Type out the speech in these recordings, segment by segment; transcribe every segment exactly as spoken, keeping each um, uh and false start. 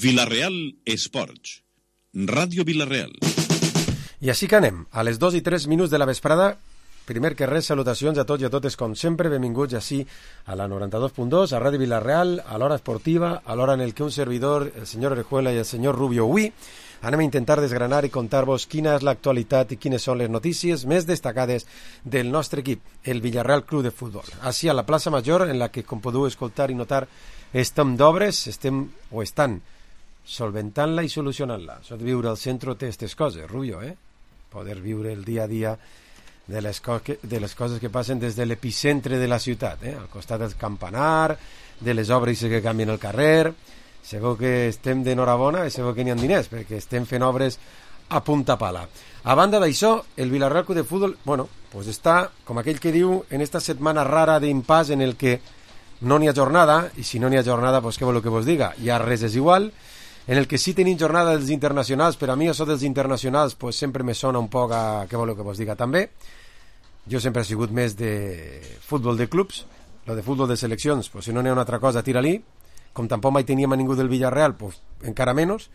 Vila-real Esports, Ràdio Vila-real. I així que anem, a les dos i tres minuts de la vesprada. Primer que res, salutacions a tots i a totes, com sempre, benvinguts així a la noranta-dos punt dos, a Ràdio Vila-real, a l'hora esportiva, a l'hora en el que un servidor, el senyor Orejuela i el senyor Rubio, avui anem a intentar desgranar i contar-vos quina és l'actualitat i quines són les notícies més destacades del nostre equip, el Villarreal Club de Futbol. Així a la plaça Major, en la que, com podeu escoltar i notar, estem d'obres, estem o estan solventant-la i solucionant-la. Això de viure al centre té aquestes coses, Rubio, eh? Poder viure el dia a dia de les, co que, de les coses que passen des de l'epicentre de la ciutat, eh? Al costat del campanar, de les obres que canvien el carrer. Segur que estem d'enhorabona i segur que n'hi ha diners, perquè estem fent obres a punta pala. A banda d'això, el Villarreal Club de Futbol, bueno, pues està, com aquell que diu, en esta setmana rara d'impàs en el que no n'hi ha jornada, i si no n'hi ha jornada, pues què vol que vos diga? Ja res és igual. En el que sí tenim jornada dels internacionals, però a mi això dels internacionals pues sempre me sona un poc a què vol que vos diga també. Jo sempre he sigut més de futbol de clubs, lo de futbol de seleccions, pues si no n'hi ha una altra cosa, tira-li. Com tampoc mai teníem a ningú del Villarreal, pues encara menys.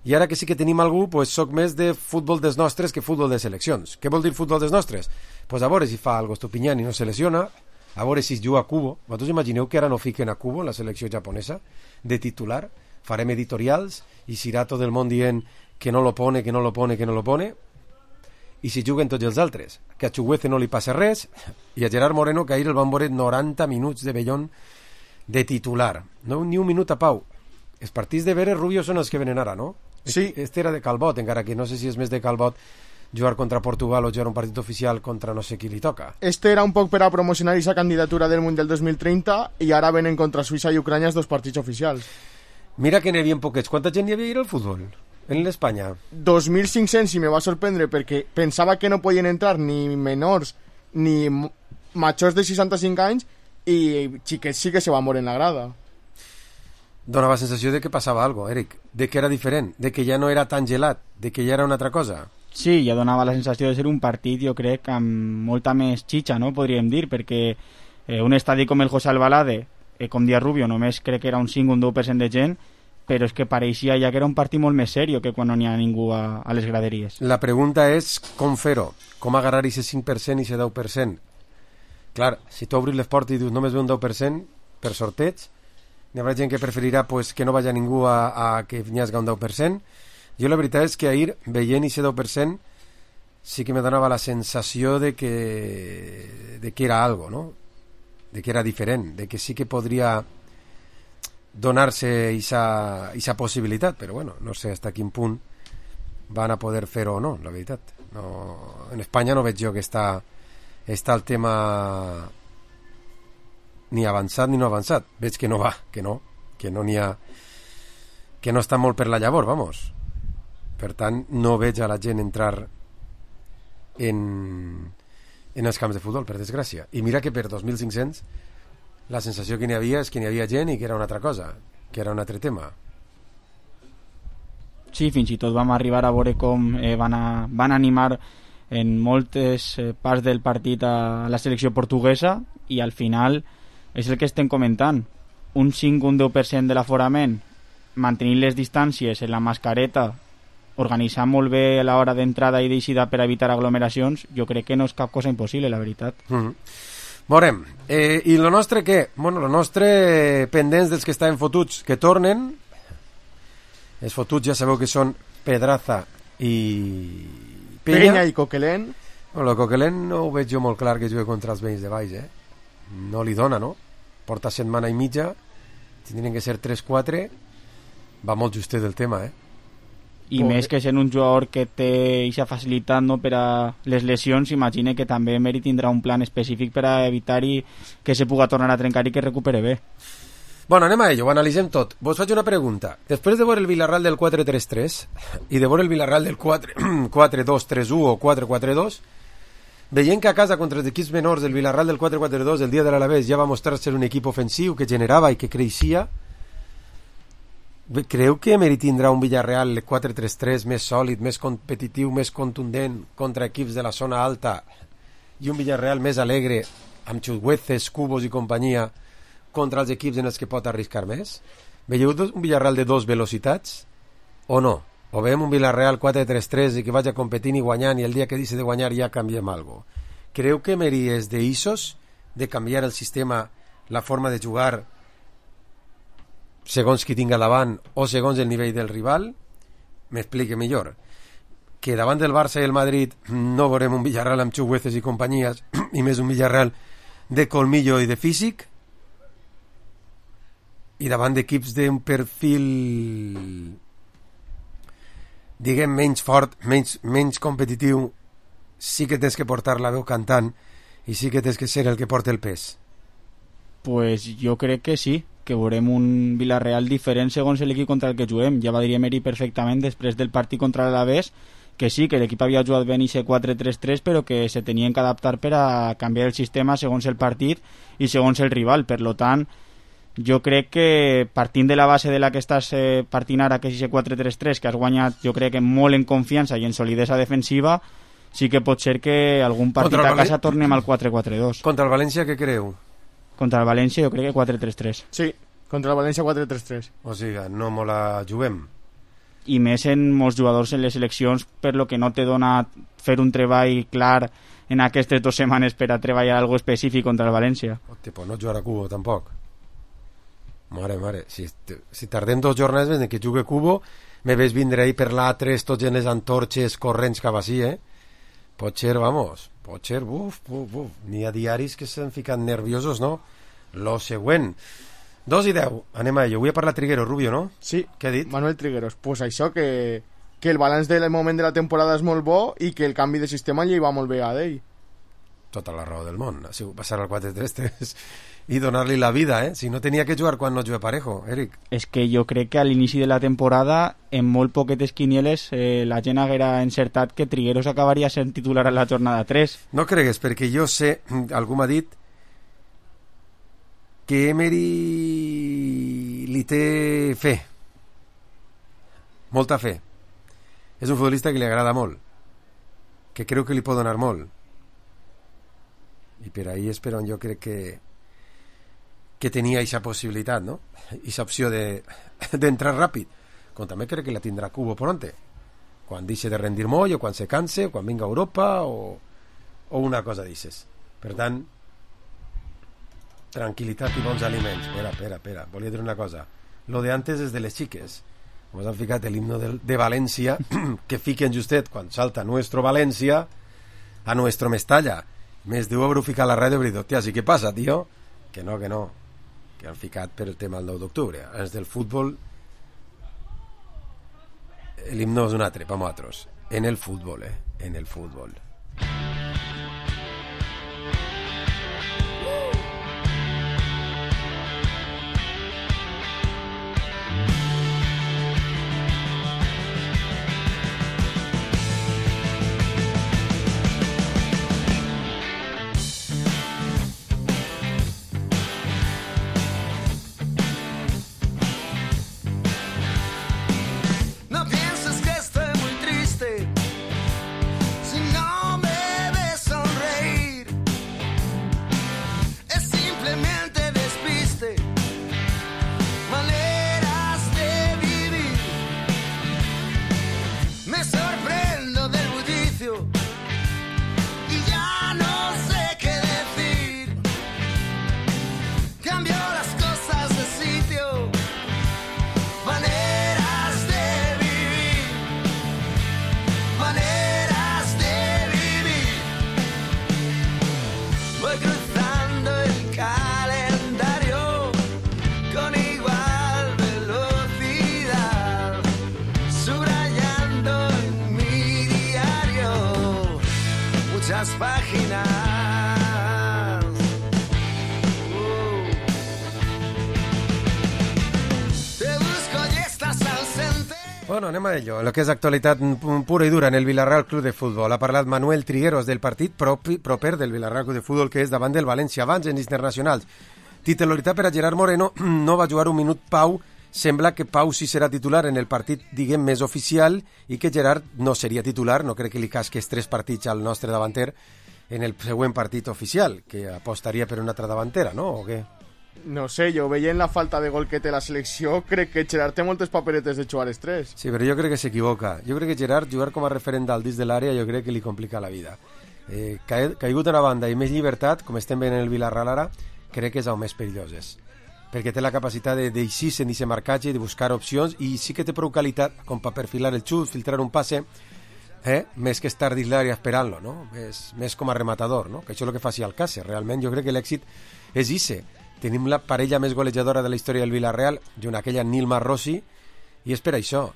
I ara que sí que tenim algú, pues soc més de futbol dels nostres que futbol de seleccions. Què vol dir futbol dels nostres? Pues a veure si fa algo Estupiñán i no se lesiona, a veure si es juga a Kubo. Vosaltres imagineu que ara no fiquen a Kubo, la selecció japonesa, de titular? Farem editorials i serà tot el món dient que no lo pone, que no lo pone, que no lo pone. I si juguen tots els altres, que a Chuguece no li passa res, i a Gerard Moreno, que ahir el van veure noranta minuts de vellón de titular, no ni un minut a pau. Els partits de Veres Rubio són els que venen ara, no? Sí. Este era de Calbot, encara que no sé si és més de Calbot jugar contra Portugal o jugar un partit oficial contra no sé qui li toca. Este era un poc per a promocionar aquesta candidatura del Mundial dos mil trenta i ara venen contra Suïssa i Ucrània els dos partits oficials. Mira que n'hi havia poquets. Quanta gent hi havia al futbol en l'Espanya? dos mil cinc-cents, i me va sorprendre perquè pensava que no podien entrar ni menors ni majors de seixanta-cinc anys, i xiquets sí que se van morir en la grada. Donava la sensació de que passava alguna cosa, Eric, de que era diferent, de que ja no era tan gelat, de que ja era una altra cosa. Sí, ja donava la sensació de ser un partit, jo crec, amb molta més xitxa, no? Podríem dir, perquè eh, un estadi com el José Albalade, eh, com dia Rubio, només crec que era un cinc o un deu per cent de gent, però és que pareixia ja que era un partit molt més seriós que quan no n'hi ha ningú a, a les graderies. La pregunta és com fer-ho, com agarrar aquest cinc per cent i aquest deu per cent. Clar, si tu obris les portes i dius només ve un deu per cent per sorteig, hi haurà gent que preferirà pues, que no vagi ningú a, a que n'hi hagi un deu per cent. Jo la veritat és que ahir, veient aquest deu per cent, sí que me donava la sensació de que, de que era algo, no? De que era diferent, de que sí que podria donar-se aquesta possibilitat, però bueno, no sé fins a quin punt van a poder fer-ho o no, la veritat. No, en Espanya no veig jo que està està el tema ni avançat ni no avançat. Veig que no va, que no, que no n'hi ha, que no està molt per la llavor, vamos. Per tant, no veig a la gent entrar en, en els camps de futbol, per desgràcia. I mira que per dos mil cinc-cents la sensació que n'hi havia és que n'hi havia gent i que era una altra cosa, que era un altre tema. Sí, fins i tot vam arribar a veure com eh, van, a, van animar en moltes eh, parts del partit a la selecció portuguesa, i al final és el que estem comentant, un cinc o un deu per cent de l'aforament, mantenint les distàncies en la mascareta, organitzar molt bé l'hora d'entrada i d'eixida per evitar aglomeracions, jo crec que no és cap cosa impossible, la veritat. Mm-hmm. Veurem. Eh, I lo nostre què? Bueno, lo nostre pendents dels que estaven fotuts que tornen. Els fotuts ja sabeu que són Pedraza i Penya, Penya i Coquelin. Bueno, el Coquelin no ho veig jo molt clar que jugui contra els veïns de baix, eh? No li dona, no? Porta setmana i mitja, tindrien que ser tres quatre, va molt justet del tema, eh? I més que sent un jugador que té aquesta facilitat, no, per a les lesions, imagine que també Meri tindrà un plan específic per a evitar-hi que se puga tornar a trencar i que recupere bé. Bueno, anem a ello, ho analitzem tot. Vos faig una pregunta. Després de veure el Villarreal del quatre tres tres i de veure el Villarreal del quatre dos tres u o quatre quatre dos, veient que a casa contra els equips menors del Villarreal del quatre quatre dos el dia de l'Alavés ja va mostrar ser un equip ofensiu que generava i que creixia, creu que Meri tindrà un Villarreal quatre tres tres més sòlid, més competitiu, més contundent contra equips de la zona alta, i un Villarreal més alegre amb Chugueces, Cubos i companyia contra els equips en els que pot arriscar més? Veieu un Villarreal de dos velocitats o no? O veiem un Villarreal quatre tres tres i que vagi competint i guanyant i el dia que deixi de guanyar ja canviem algo? Creu que Emery és d'Isos de canviar el sistema, la forma de jugar segons qui tinga davant o segons el nivell del rival? M'explique millor. Que davant del Barça i el Madrid no veurem un Villarreal amb Chugueces i companyies i més un Villarreal de colmillo i de físic, i davant d'equips d'un perfil diguem menys fort, menys, menys competitiu, sí que tens que portar la veu cantant i sí que tens que ser el que porta el pes. Pues jo crec que sí, que veurem un Villarreal diferent segons l'equip contra el que juguem. Ja va dir Emery perfectament després del partit contra l'Alavés que sí, que l'equip havia jugat ben i quatre tres tres, però que se tenien que adaptar per a canviar el sistema segons el partit i segons el rival. Per lo tant, jo crec que partint de la base de la que estàs eh, partint ara, que és quatre tres tres, que has guanyat jo crec que molt en confiança i en solidesa defensiva, sí que pot ser que algun partit a casa Val... tornem al quatre quatre dos. Contra el València què creu? Contra el València jo crec que quatre tres tres. Sí, contra el València quatre tres tres. O sigui, no me la juguem. I més en molts jugadors en les seleccions, per lo que no te dona fer un treball clar en aquestes dues setmanes per a treballar algo específic contra el València. Hosti, pues no jugar a Cubo tampoc. Mare, mare, si, si tardem dos jornades en que jugui Cubo, me ves vindre ahí per l'A tres tots en les antorxes corrents cap així, eh? Pot ser, vamos, pot ser, buf, buf, buf. N'hi ha diaris que s'han ficat nerviosos, no? Lo següent. Dos i deu, anem a ello. Avui ha parlat Trigueros, Rubio, no? Sí, què ha dit? Manuel Trigueros. Pues això, que, que el balanç del moment de la temporada és molt bo i que el canvi de sistema li va molt bé a ell. Tota la raó del món. Ha sigut passar al quatre tres tres i donar-li la vida, eh? Si no tenia que jugar quan no jugué Parejo, Eric. És que jo crec que a l'inici de la temporada, en molt poquetes quinieles, eh, la gent haguera encertat que Trigueros acabaria sent titular a la jornada tres. No cregues, perquè jo sé, algú m'ha dit que Emery li té fe, molta fe. És un futbolista que li agrada molt, que creu que li pot donar molt, i per ahí és per on jo crec que que tenia aquesta possibilitat, no? Aquesta opció de d'entrar ràpid, com també crec que la tindrà Cubo pronte, quan deixi de rendir molt, o quan se canse, o quan vinga a Europa, o, o una cosa d'aixes. Per tant, tranquil·litat i bons aliments. Espera, espera, espera, volia dir una cosa. Lo de antes és de les xiques. Ens han ficat l'himno de, de València, que fiquen justet quan salta nuestro València a nuestro Mestalla. Més deu haver ficat la ràdio i dir, hòstia, sí, què passa, tio? Que no, que no, que han ficat per el tema del nou d'octubre. És del futbol, l'himno és un altre, per nosaltres. En el futbol, eh? En el futbol. Páginas. Uh. Te busco y estás ausente. Bueno, anem a ello. Lo que és actualitat pura i dura en el Villarreal Club de Futbol. Ha parlat Manuel Trigueros del partit propi, proper del Villarreal Club de Futbol, que és davant del València, abans en internacionals. Titularitat per a Gerard Moreno, no va jugar un minut Pau. Sembla que Pau sí serà titular en el partit, diguem, més oficial, i que Gerard no seria titular. No crec que li casqués tres partits al nostre davanter en el següent partit oficial, que apostaria per una altra davantera, no? O què? No sé, jo veient la falta de gol que té la selecció, crec que Gerard té moltes paperetes de jugar els tres. Sí, però jo crec que s'equivoca. Jo crec que Gerard, jugar com a referent dalt dins de l'àrea, jo crec que li complica la vida. Eh, caigut a una banda i més llibertat, com estem veient en el Villarreal ara, crec que és el més perillós és. Perquè té la capacitat de d'eixir-se en aquest marcatge, de buscar opcions, i sí que té prou qualitat com per perfilar el xut, filtrar un passe, eh? més que estar dins l'àrea esperant-lo, no? més, més com a rematador, no? que això és el que fa si Alcácer. Realment jo crec que l'èxit és ixe. Tenim la parella més golejadora de la història del Villarreal, junt aquella Nilma Rossi, i és per això.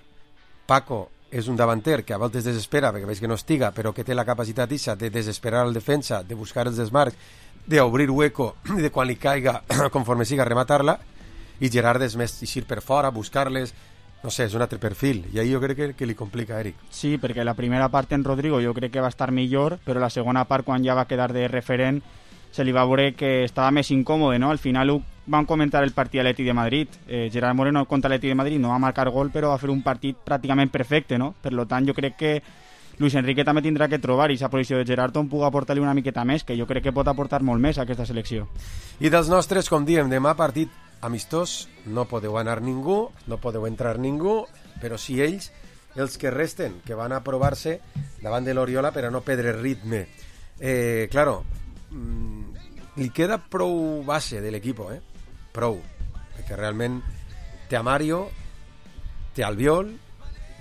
Paco és un davanter que a voltes desespera, perquè veig que no estiga, però que té la capacitat ixa de desesperar el defensa, de buscar els desmarcs, d'obrir hueco, i de quan li caiga, conforme siga, rematar-la, i Gerard és més eixir per fora, buscar-les, no sé, és un altre perfil, i ahí jo crec que, que li complica, Eric. Sí, perquè la primera part en Rodrigo jo crec que va estar millor, però la segona part, quan ja va quedar de referent, se li va veure que estava més incòmode, no? Al final ho van comentar el partit a l'Atlètic de Madrid. Eh, Gerard Moreno contra l'Atlètic de Madrid no va marcar gol, però va fer un partit pràcticament perfecte, no? Per tant, jo crec que Luis Enrique també tindrà que trobar i aquesta posició de Gerard on pugui aportar-li una miqueta més, que jo crec que pot aportar molt més a aquesta selecció. I dels nostres, com diem, demà partit amistós, no podeu anar ningú, no podeu entrar ningú, però sí ells, els que resten, que van a provar-se davant de l'Oriola per a no perdre ritme. Eh, claro, li queda prou base de l'equip, eh? Prou, perquè realment té a Mario, té Albiol,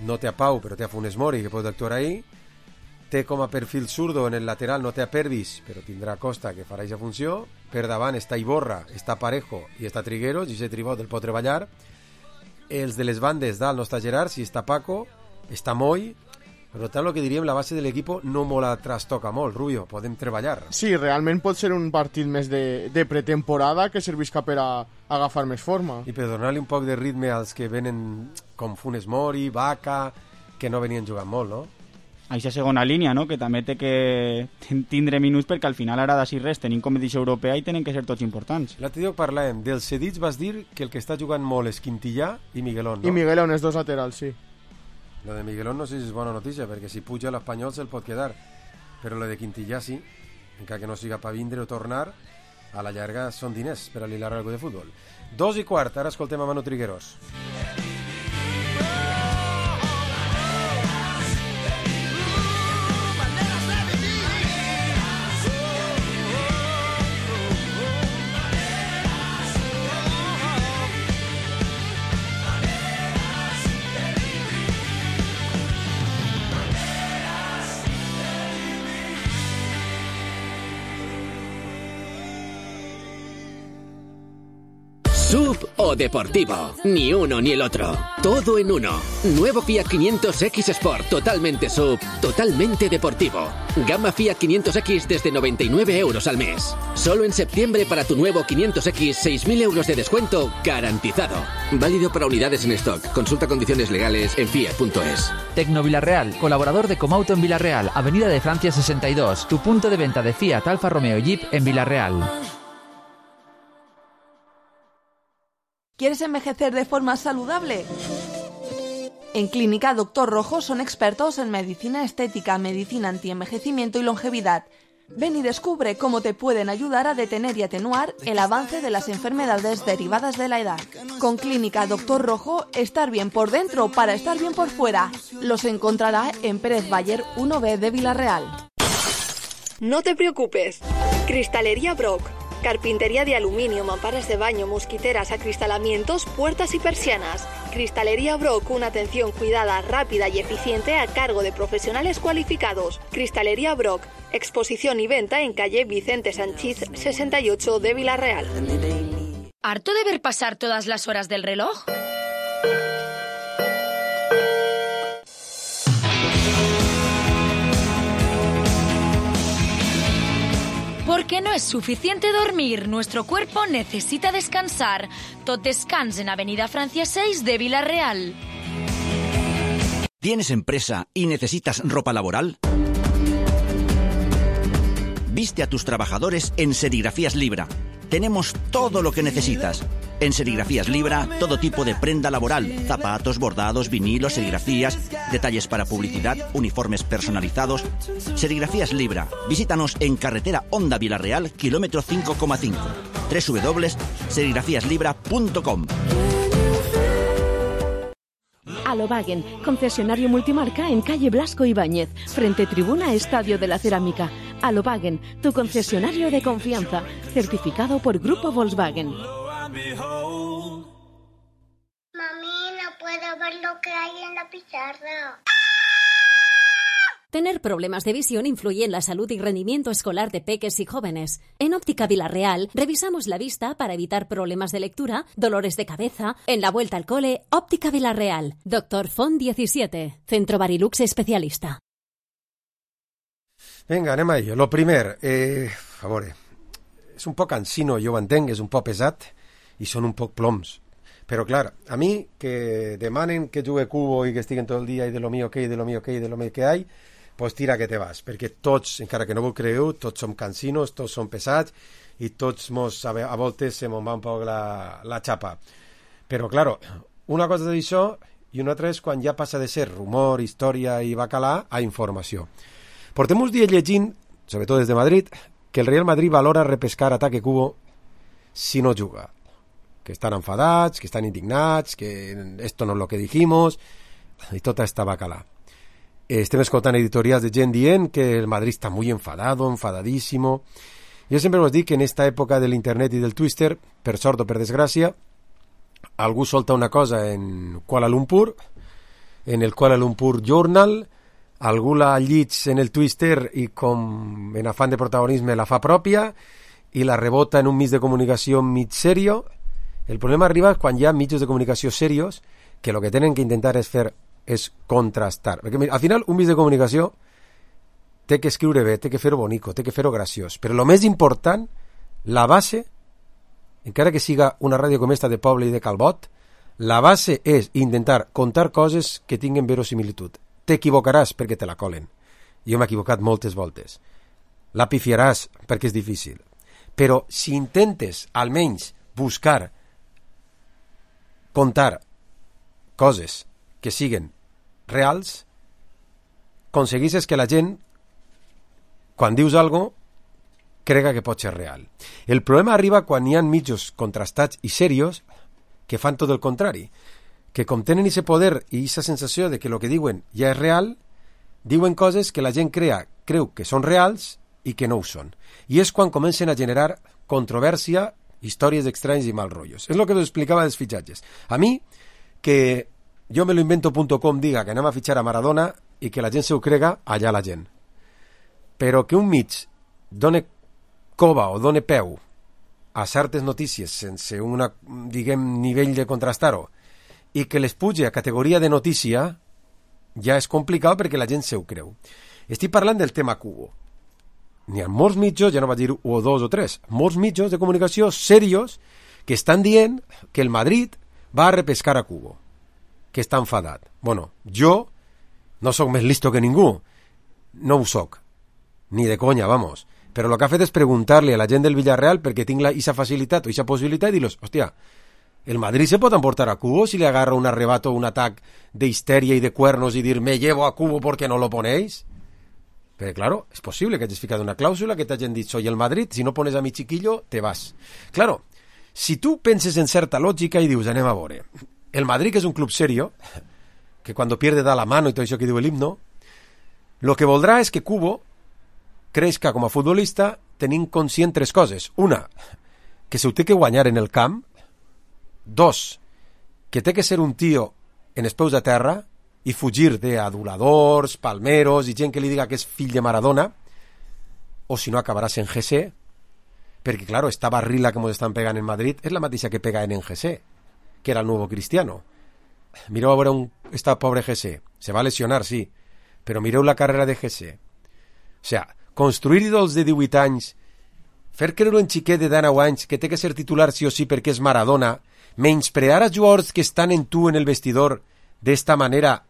no té a Pau, però té a Funes Mori, que pot actuar ahí, té com a perfil zurdo en el lateral, no té a Pervis, però tindrà Costa, que farà aquesta funció, per davant està Iborra, està Parejo i està Trigueros, i aquest tribot el pot treballar, els de les bandes dalt no està Gerard, si està Paco, està Moy. Per tant, el que diríem, la base de l'equip no molt la trastoca molt, Rubio, podem treballar. Sí, realment pot ser un partit més de, de pretemporada que servisca per a, a agafar més forma. I per donar-li un poc de ritme als que venen com Funes Mori, Vaca, que no venien jugant molt, no? Aquesta segona línia, no? Que també té que tindre minuts perquè al final ara d'ací res tenim competició europea i tenen que ser tots importants. L'altre dia parlàvem, dels cedits vas dir que el que està jugant molt és Quintillà i Miguelón, no? I Miguelón, els dos laterals, sí. Lo de Miguelón no sé si és bona notícia, perquè si puja l'Espanyol se'l pot quedar, però lo de Quintillà sí, encara que no siga per vindre o tornar, a la llarga són diners per a l'Hilar algo de futbol. Dos i quart, ara escoltem a Manu Trigueros. Sub o deportivo, ni uno ni el otro, todo en uno. Nuevo Fiat quinientos X Sport, totalmente sub, totalmente deportivo. Gama Fiat quinientos X desde noventa y nueve euros al mes. Solo en septiembre para tu nuevo quinientos X, seis mil euros de descuento garantizado. Válido para unidades en stock. Consulta condiciones legales en fiat punto es. Tecno Villarreal, colaborador de Comauto en Villarreal, Avenida de Francia sesenta y dos, tu punto de venta de Fiat, Alfa Romeo y Jeep en Villarreal. ¿Quieres envejecer de forma saludable? En Clínica Doctor Rojo son expertos en medicina estética, medicina antienvejecimiento y longevidad. Ven y descubre cómo te pueden ayudar a detener y atenuar el avance de las enfermedades derivadas de la edad. Con Clínica Doctor Rojo, estar bien por dentro para estar bien por fuera. Los encontrará en Pérez Bayer uno B de Villarreal. No te preocupes. Cristalería Brock. Carpintería de aluminio, mamparas de baño, mosquiteras, acristalamientos, puertas y persianas. Cristalería Brock, una atención cuidada, rápida y eficiente a cargo de profesionales cualificados. Cristalería Brock, exposición y venta en calle Vicente Sanchís sesenta y ocho de Villarreal. ¿Harto de ver pasar todas las horas del reloj? Porque no es suficiente dormir, nuestro cuerpo necesita descansar. Tot Descans en Avenida Francia seis de Villarreal. ¿Tienes empresa y necesitas ropa laboral? Viste a tus trabajadores en Serigrafías Libra. Tenemos todo lo que necesitas. En Serigrafías Libra, todo tipo de prenda laboral, zapatos, bordados, vinilos, serigrafías, detalles para publicidad, uniformes personalizados. Serigrafías Libra. Visítanos en carretera Honda Villarreal, kilómetro cinco coma cinco. doble u doble u doble u punto serigrafías libra punto com. Alobagen, concesionario multimarca en calle Blasco Ibáñez, frente tribuna Estadio de la Cerámica. Alobagen, tu concesionario de confianza, certificado por Grupo Volkswagen. Mami, no puedo ver lo que hay en la pizarra. Tener problemas de visión influye en la salud y rendimiento escolar de peques y jóvenes. En Óptica Vilarreal revisamos la vista para evitar problemas de lectura, dolores de cabeza. En la vuelta al cole, Óptica Vilarreal. Doctor Font diecisiete, Centro Barilux especialista. Vinga, anem a ello. Lo primer, eh, a veure, és un poc cansino, jo ho entenc, és un poc pesat i són un poc ploms. Però, clar, a mi que demanen que jugue cubo i que estiguen tot el dia i de lo mío que hay, de lo mío que hay, de lo mío que hay, pues tira que te vas, perquè tots, encara que no ho creieu, tots som cansinos, tots som pesats i tots mos, a, a voltes se mos va un poc la, la xapa. Però, claro, una cosa d'això i una altra és quan ja passa de ser rumor, història i bacalà a informació. Portem uns dies llegint, sobretot des de Madrid, que el Real Madrid valora repescar Ataque Cubo si no juga. Que estan enfadats, que estan indignats, que esto no es lo que dijimos, i tota esta bacalà. Estem escoltant editorials de gent dient que el Madrid està muy enfadado, enfadadísimo. Jo sempre us dic que en esta època de l'internet i del Twitter, per sort o per desgràcia, algú solta una cosa en Kuala Lumpur, en el Kuala Lumpur Journal, algú la llits en el Twitter i com en afán de protagonisme la fa pròpia i la rebota en un mig de comunicació mig serio. El problema arriba quan hi ha mitjos de comunicació serios que el que tenen que intentar és fer és contrastar. Perquè al final un mig de comunicació té que escriure bé, té que fer-ho bonico, té que fer-ho graciós. Però el més important, la base, encara que siga una ràdio com esta de poble i de Calbot, la base és intentar contar coses que tinguen verosimilitud. T'equivocaràs perquè te la colen. Jo m'he equivocat moltes voltes. La pifiaràs perquè és difícil. Però si intentes almenys buscar contar coses que siguen reals, aconseguisses que la gent, quan dius algo, crega que pot ser real. El problema arriba quan hi ha mitjos contrastats i serios que fan tot el contrari, que com tenen ese poder i esa sensació de que el que diuen ja és real, diuen coses que la gent crea, creu que són reals i que no ho són. I és quan comencen a generar controvèrsia, històries estranys i mal rotllos. És el que us explicava dels fitxatges. A mi, que jo me lo invento punto com diga que anem a fitxar a Maradona i que la gent se ho crega, allà la gent. Però que un mig done cova o done peu a certes notícies sense un, diguem, nivell de contrastar-ho i que les puge a categoria de notícia, ja és complicat perquè la gent se ho creu. Estic parlant del tema Cubo. N'hi ha molts mitjos, ja no vaig dir un o dos o tres, molts mitjos de comunicació serios que estan dient que el Madrid va a repescar a Cubo, que està enfadat. Bueno, jo no sóc més listo que ningú, no ho soc, ni de conya, vamos, però el que ha fet és preguntar-li a la gent del Villarreal perquè tinc la, esa facilitat o esa possibilitat i dir-los, hòstia, el Madrid se pot emportar a Cubo si le agarra un arrebato, un atac de histeria y de cuernos y dir, me llevo a Cubo porque no lo ponéis. Pero claro, es posible que hayas fijado una cláusula que te hayan dicho, y el Madrid, si no pones a mi chiquillo, te vas. Claro, si tu penses en certa lògica i dius, anem a veure, el Madrid, que és un club serio, que cuando pierde da la mano i tot això que diu el himno, lo que voldrà és que Cubo creixca com a futbolista tenint conscient tres coses. Una, que se ho té que guanyar en el camp. Dos, que té que ser un tio en els peus a terra i fugir d'aduladors, palmeros i gent que li diga que és fill de Maradona, o si no acabaràs en G C, perquè, claro, esta barrila que ens estan pegant en Madrid és la mateixa que pegaven en G C, que era el nuevo Cristiano. Mireu a veure un, esta pobre G C, se va lesionar, sí, però mireu la carrera de G C. O sea, construir ídols de divuit anys, fer creure un xiquet de dinou anys que té que ser titular sí o sí perquè és Maradona, menysprear a jugadors que estan en tu en el vestidor d'esta manera,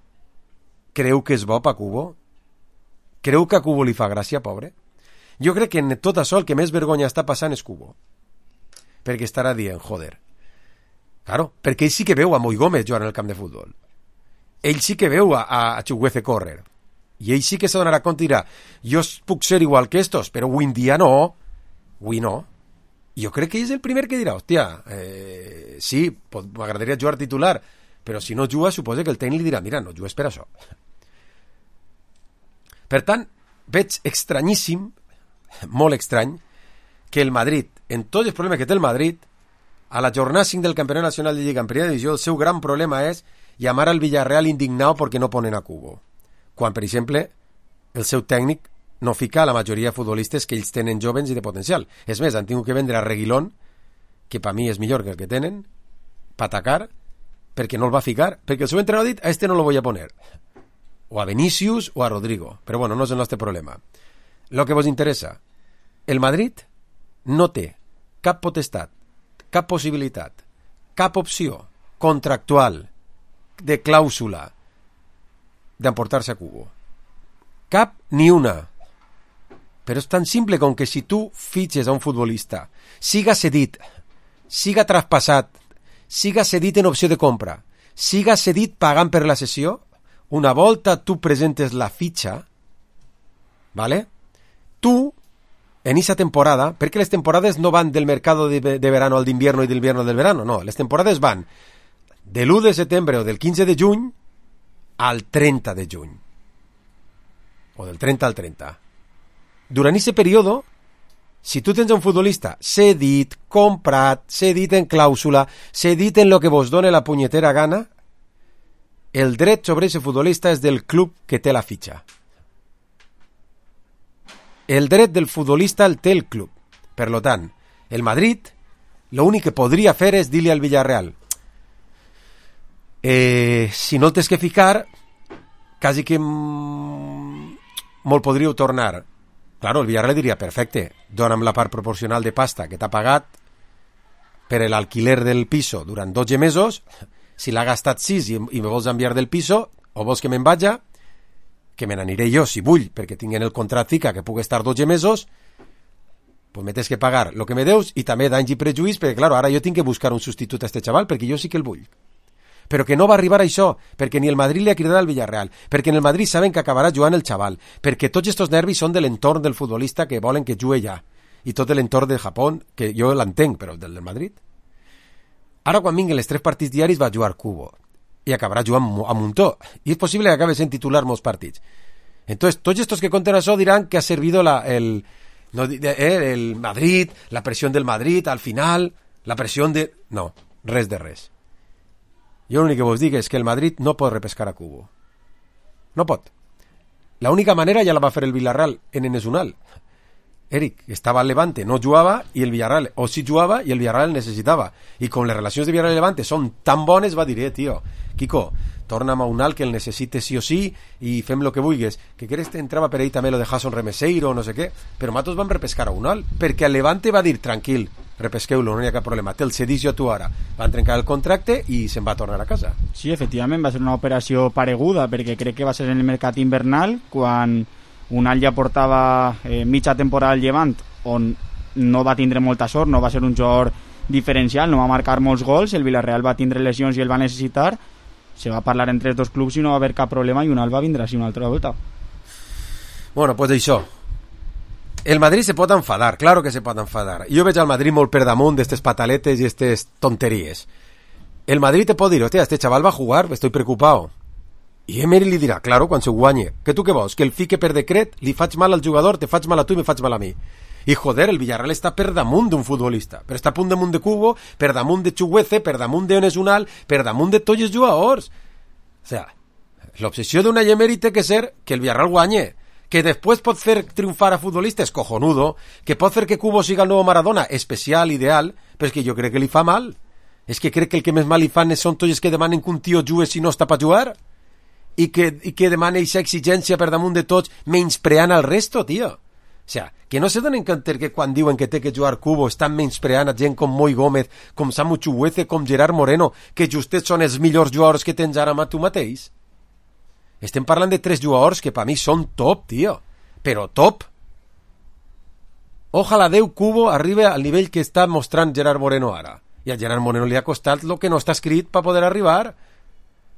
creu que és bo pa Cubo? Creu que a Cubo li fa gràcia, pobre? Jo crec que en tot això el que més vergonya està passant és Cubo, perquè estarà dient, joder, claro, perquè ell sí que veu a Moi Gómez jugant en el camp de futbol, ell sí que veu a, a Chukwueze córrer, i ell sí que se donarà compte i dirà, jo puc ser igual que estos, però avui en dia no, avui no, jo crec que ell és el primer que dirà, hòstia, eh, sí, m'agradaria jugar titular, però si no juga, suposa que el tècnic li dirà, mira, no jugues per això. Per tant, veig estranyíssim, molt estrany, que el Madrid, en tots els problemes que té el Madrid, a la jornada cinc del Campionat Nacional de Lliga en primera divisió, el seu gran problema és llamar al Villarreal indignado perquè no ponen a Cubo. Quan, per exemple, el seu tècnic no fica a la majoria de futbolistes que ells tenen jovens i de potencial. És més, han tingut que vendre a Reguilón, que per mi és millor que el que tenen, per atacar, perquè no el va ficar, perquè el seu entrenador ha dit, a este no lo voy a poner. O a Vinicius o a Rodrigo. Però bueno, no és el nostre problema. Lo que vos interessa, el Madrid no té cap potestat, cap possibilitat, cap opció contractual de clàusula d'emportar-se a Cubo. Cap ni una. Però és tan simple com que si tu fitxes a un futbolista, siga cedit, siga traspassat, siga cedit en opció de compra, siga cedit pagant per la sessió, una volta tu presentes la fitxa, ¿vale? Tu, en esa temporada, perquè les temporades no van del mercado de, de verano al d'invierno i del invierno al del verano, no, les temporades van de l'u de setembre o del quinze de juny al trenta de juny, o del trenta al trenta. Durant aquest període, si tu tens un futbolista cedit, comprat, cedit en clàusula, cedit en lo que vos done la punyetera gana, el dret sobre ese futbolista és del club que té la fitxa. El dret del futbolista el té el club. Per lo tant, el Madrid, l'únic que podria fer és dir-li al Villarreal, eh, si no el tens que ficar, quasi que molt podríeu tornar. Claro, el Villarreal diria, perfecte, dona'm la part proporcional de pasta que t'ha pagat per l'alquiler del piso durant dotze mesos, si l'ha gastat sis i, i me vols enviar del piso, o vols que me'n vaja, que me n'aniré jo si vull, perquè tinc en el contrat fica que pugui estar dotze mesos, pues me tens que pagar el que me deus i també danys i prejuís, perquè claro, ara jo tinc que buscar un substitut a este xaval, perquè jo sí que el vull. Però que no va arribar a això, perquè ni el Madrid li ha cridat al Villarreal, perquè en el Madrid saben que acabarà jugant el xaval, perquè tots estos nervis són de l'entorn del futbolista que volen que jugui ja, i tot l'entorn de Japó, que jo l'entenc, però del del Madrid. Ara quan vinguen els tres partits diaris va jugar Cubo, i acabarà jugant a muntó, i és possible que acabe sent titular molts partits. Entonces, tots estos que conten això diran que ha servido la, el, no, eh, el Madrid, la presión del Madrid al final, la presión de... No, res de res. Jo l'únic que vos dic és que el Madrid no pot repescar a Cubo. No pot. La única manera ja la va fer el Villarreal en Enesunal. Eric estava al Levante, no jugava, i el Villarreal, o sí jugava, i el Villarreal necessitava. I com les relacions de Villarreal i Levante són tan bones, va dir, eh, tio, Quico, torna'm a un alt que el necessite sí o sí, i fem lo que vulguis. Que creus que entrava per ahí també lo de Jason Remeseiro, no sé què, però nosaltres vam repescar a un alt, perquè el Levante va dir, tranquil, repesqueu-lo, no hi ha cap problema, te'l cedís jo a tu ara. Van trencar el contracte i se'n va tornar a casa. Sí, efectivament, va ser una operació pareguda, perquè crec que va ser en el mercat invernal, quan Unal ja portava eh, mitja temporada al Llevant, on no va tindre molta sort, no va ser un jugador diferencial, no va marcar molts gols, el Villarreal va tindre lesions i el va necessitar, se va parlar entre els dos clubs i no va haver cap problema, i Unal va vindre així una altra volta. Bueno, pues això. El Madrid se pot enfadar, claro que se pot enfadar. Jo veig al Madrid molt per damunt d'estes pataletes i estes tonteries. El Madrid te pot dir, hostia, este chaval va a jugar, estoy preocupado. I Emery li dirà, claro, quan se guanye, que tu què vols, que el fique per decret, li faig mal al jugador, te faig mal a tu i me faig mal a mi. I joder, el Villarreal està per damunt d'un futbolista, però està a punt damunt de Cubo, per damunt de Chuguece, per damunt de Onesunal, per damunt de tots els jugadors. O sea, l'obsessió d'una Emery té que ser que el Villarreal guanye, que després pot fer triomfar a futbolistes, cojonudo, que pot fer que Cubo siga el nou Maradona, especial, ideal, però és que jo crec que li fa mal. És que crec que el que més mal li fan són tots els que demanen que un tio jugui si no està per jugar, i que, i que demana aquesta exigència per damunt de tots, menyspreant al resto, tio. O sea, que no se donen compte que quan diuen que té que jugar Cubo estan menyspreant a gent com Moi Gómez, com Samu Chuguece, com Gerard Moreno, que justets són els millors jugadors que tens ara tu mateix. Estem parlant de tres jugadors que per mi són top, tio. Però top. Ojalà Déu Cubo arribi al nivell que està mostrant Gerard Moreno ara. I a Gerard Moreno li ha costat el que no està escrit per poder arribar.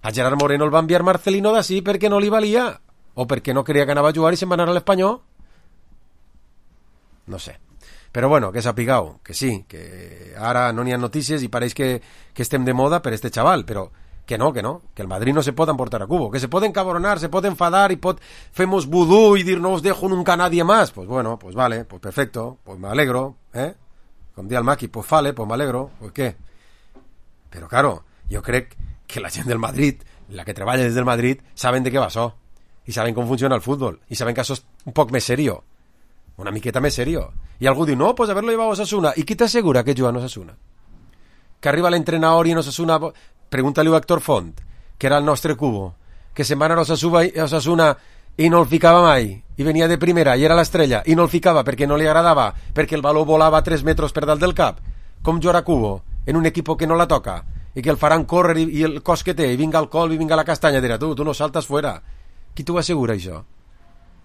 A Gerard Moreno el va enviar Marcelino d'ací perquè no li valia, o perquè no creia que anava a jugar i se'n va anar a l'Espanyol. No sé. Però bueno, que sapigueu, que sí, que ara no n'hi ha notícies i pareix que, que estem de moda per este xaval, però que no, que no, que el Madrid no se pot emportar a cubo, que se pot encabronar, se pot enfadar y pot femos vudú y dir no os dejo nunca nadie más. Pues bueno, pues vale, pues perfecto, pues me alegro, ¿eh? Com dia el Maki, pues vale, pues me alegro, pues què? Però claro, jo crec que la gent del Madrid, la que treballa des del Madrid, saben de què va això, i saben com funciona el futbol, i saben que això és un poc més serio, una miqueta més serio. I algú diu, no, pues haberlo llevado a Osasuna. I qui t'assegura que juga en Osasuna? Que arriba l'entrenador i en Osasuna... Pregúntale a Héctor Font, que era el nostre cubo, que se'n va anar a Osasuna, a Osasuna i no el ficava mai, i venia de primera, i era l'estrella, i no el ficava perquè no li agradava, perquè el baló volava tres metres per dalt del cap. Com jugarà Cubo en un equip que no la toca, i que el faran córrer i, i el cos que té, i vinga el col i vinga la castanya, dirà, tu, tu no saltes fuera. Qui t'ho assegura, això?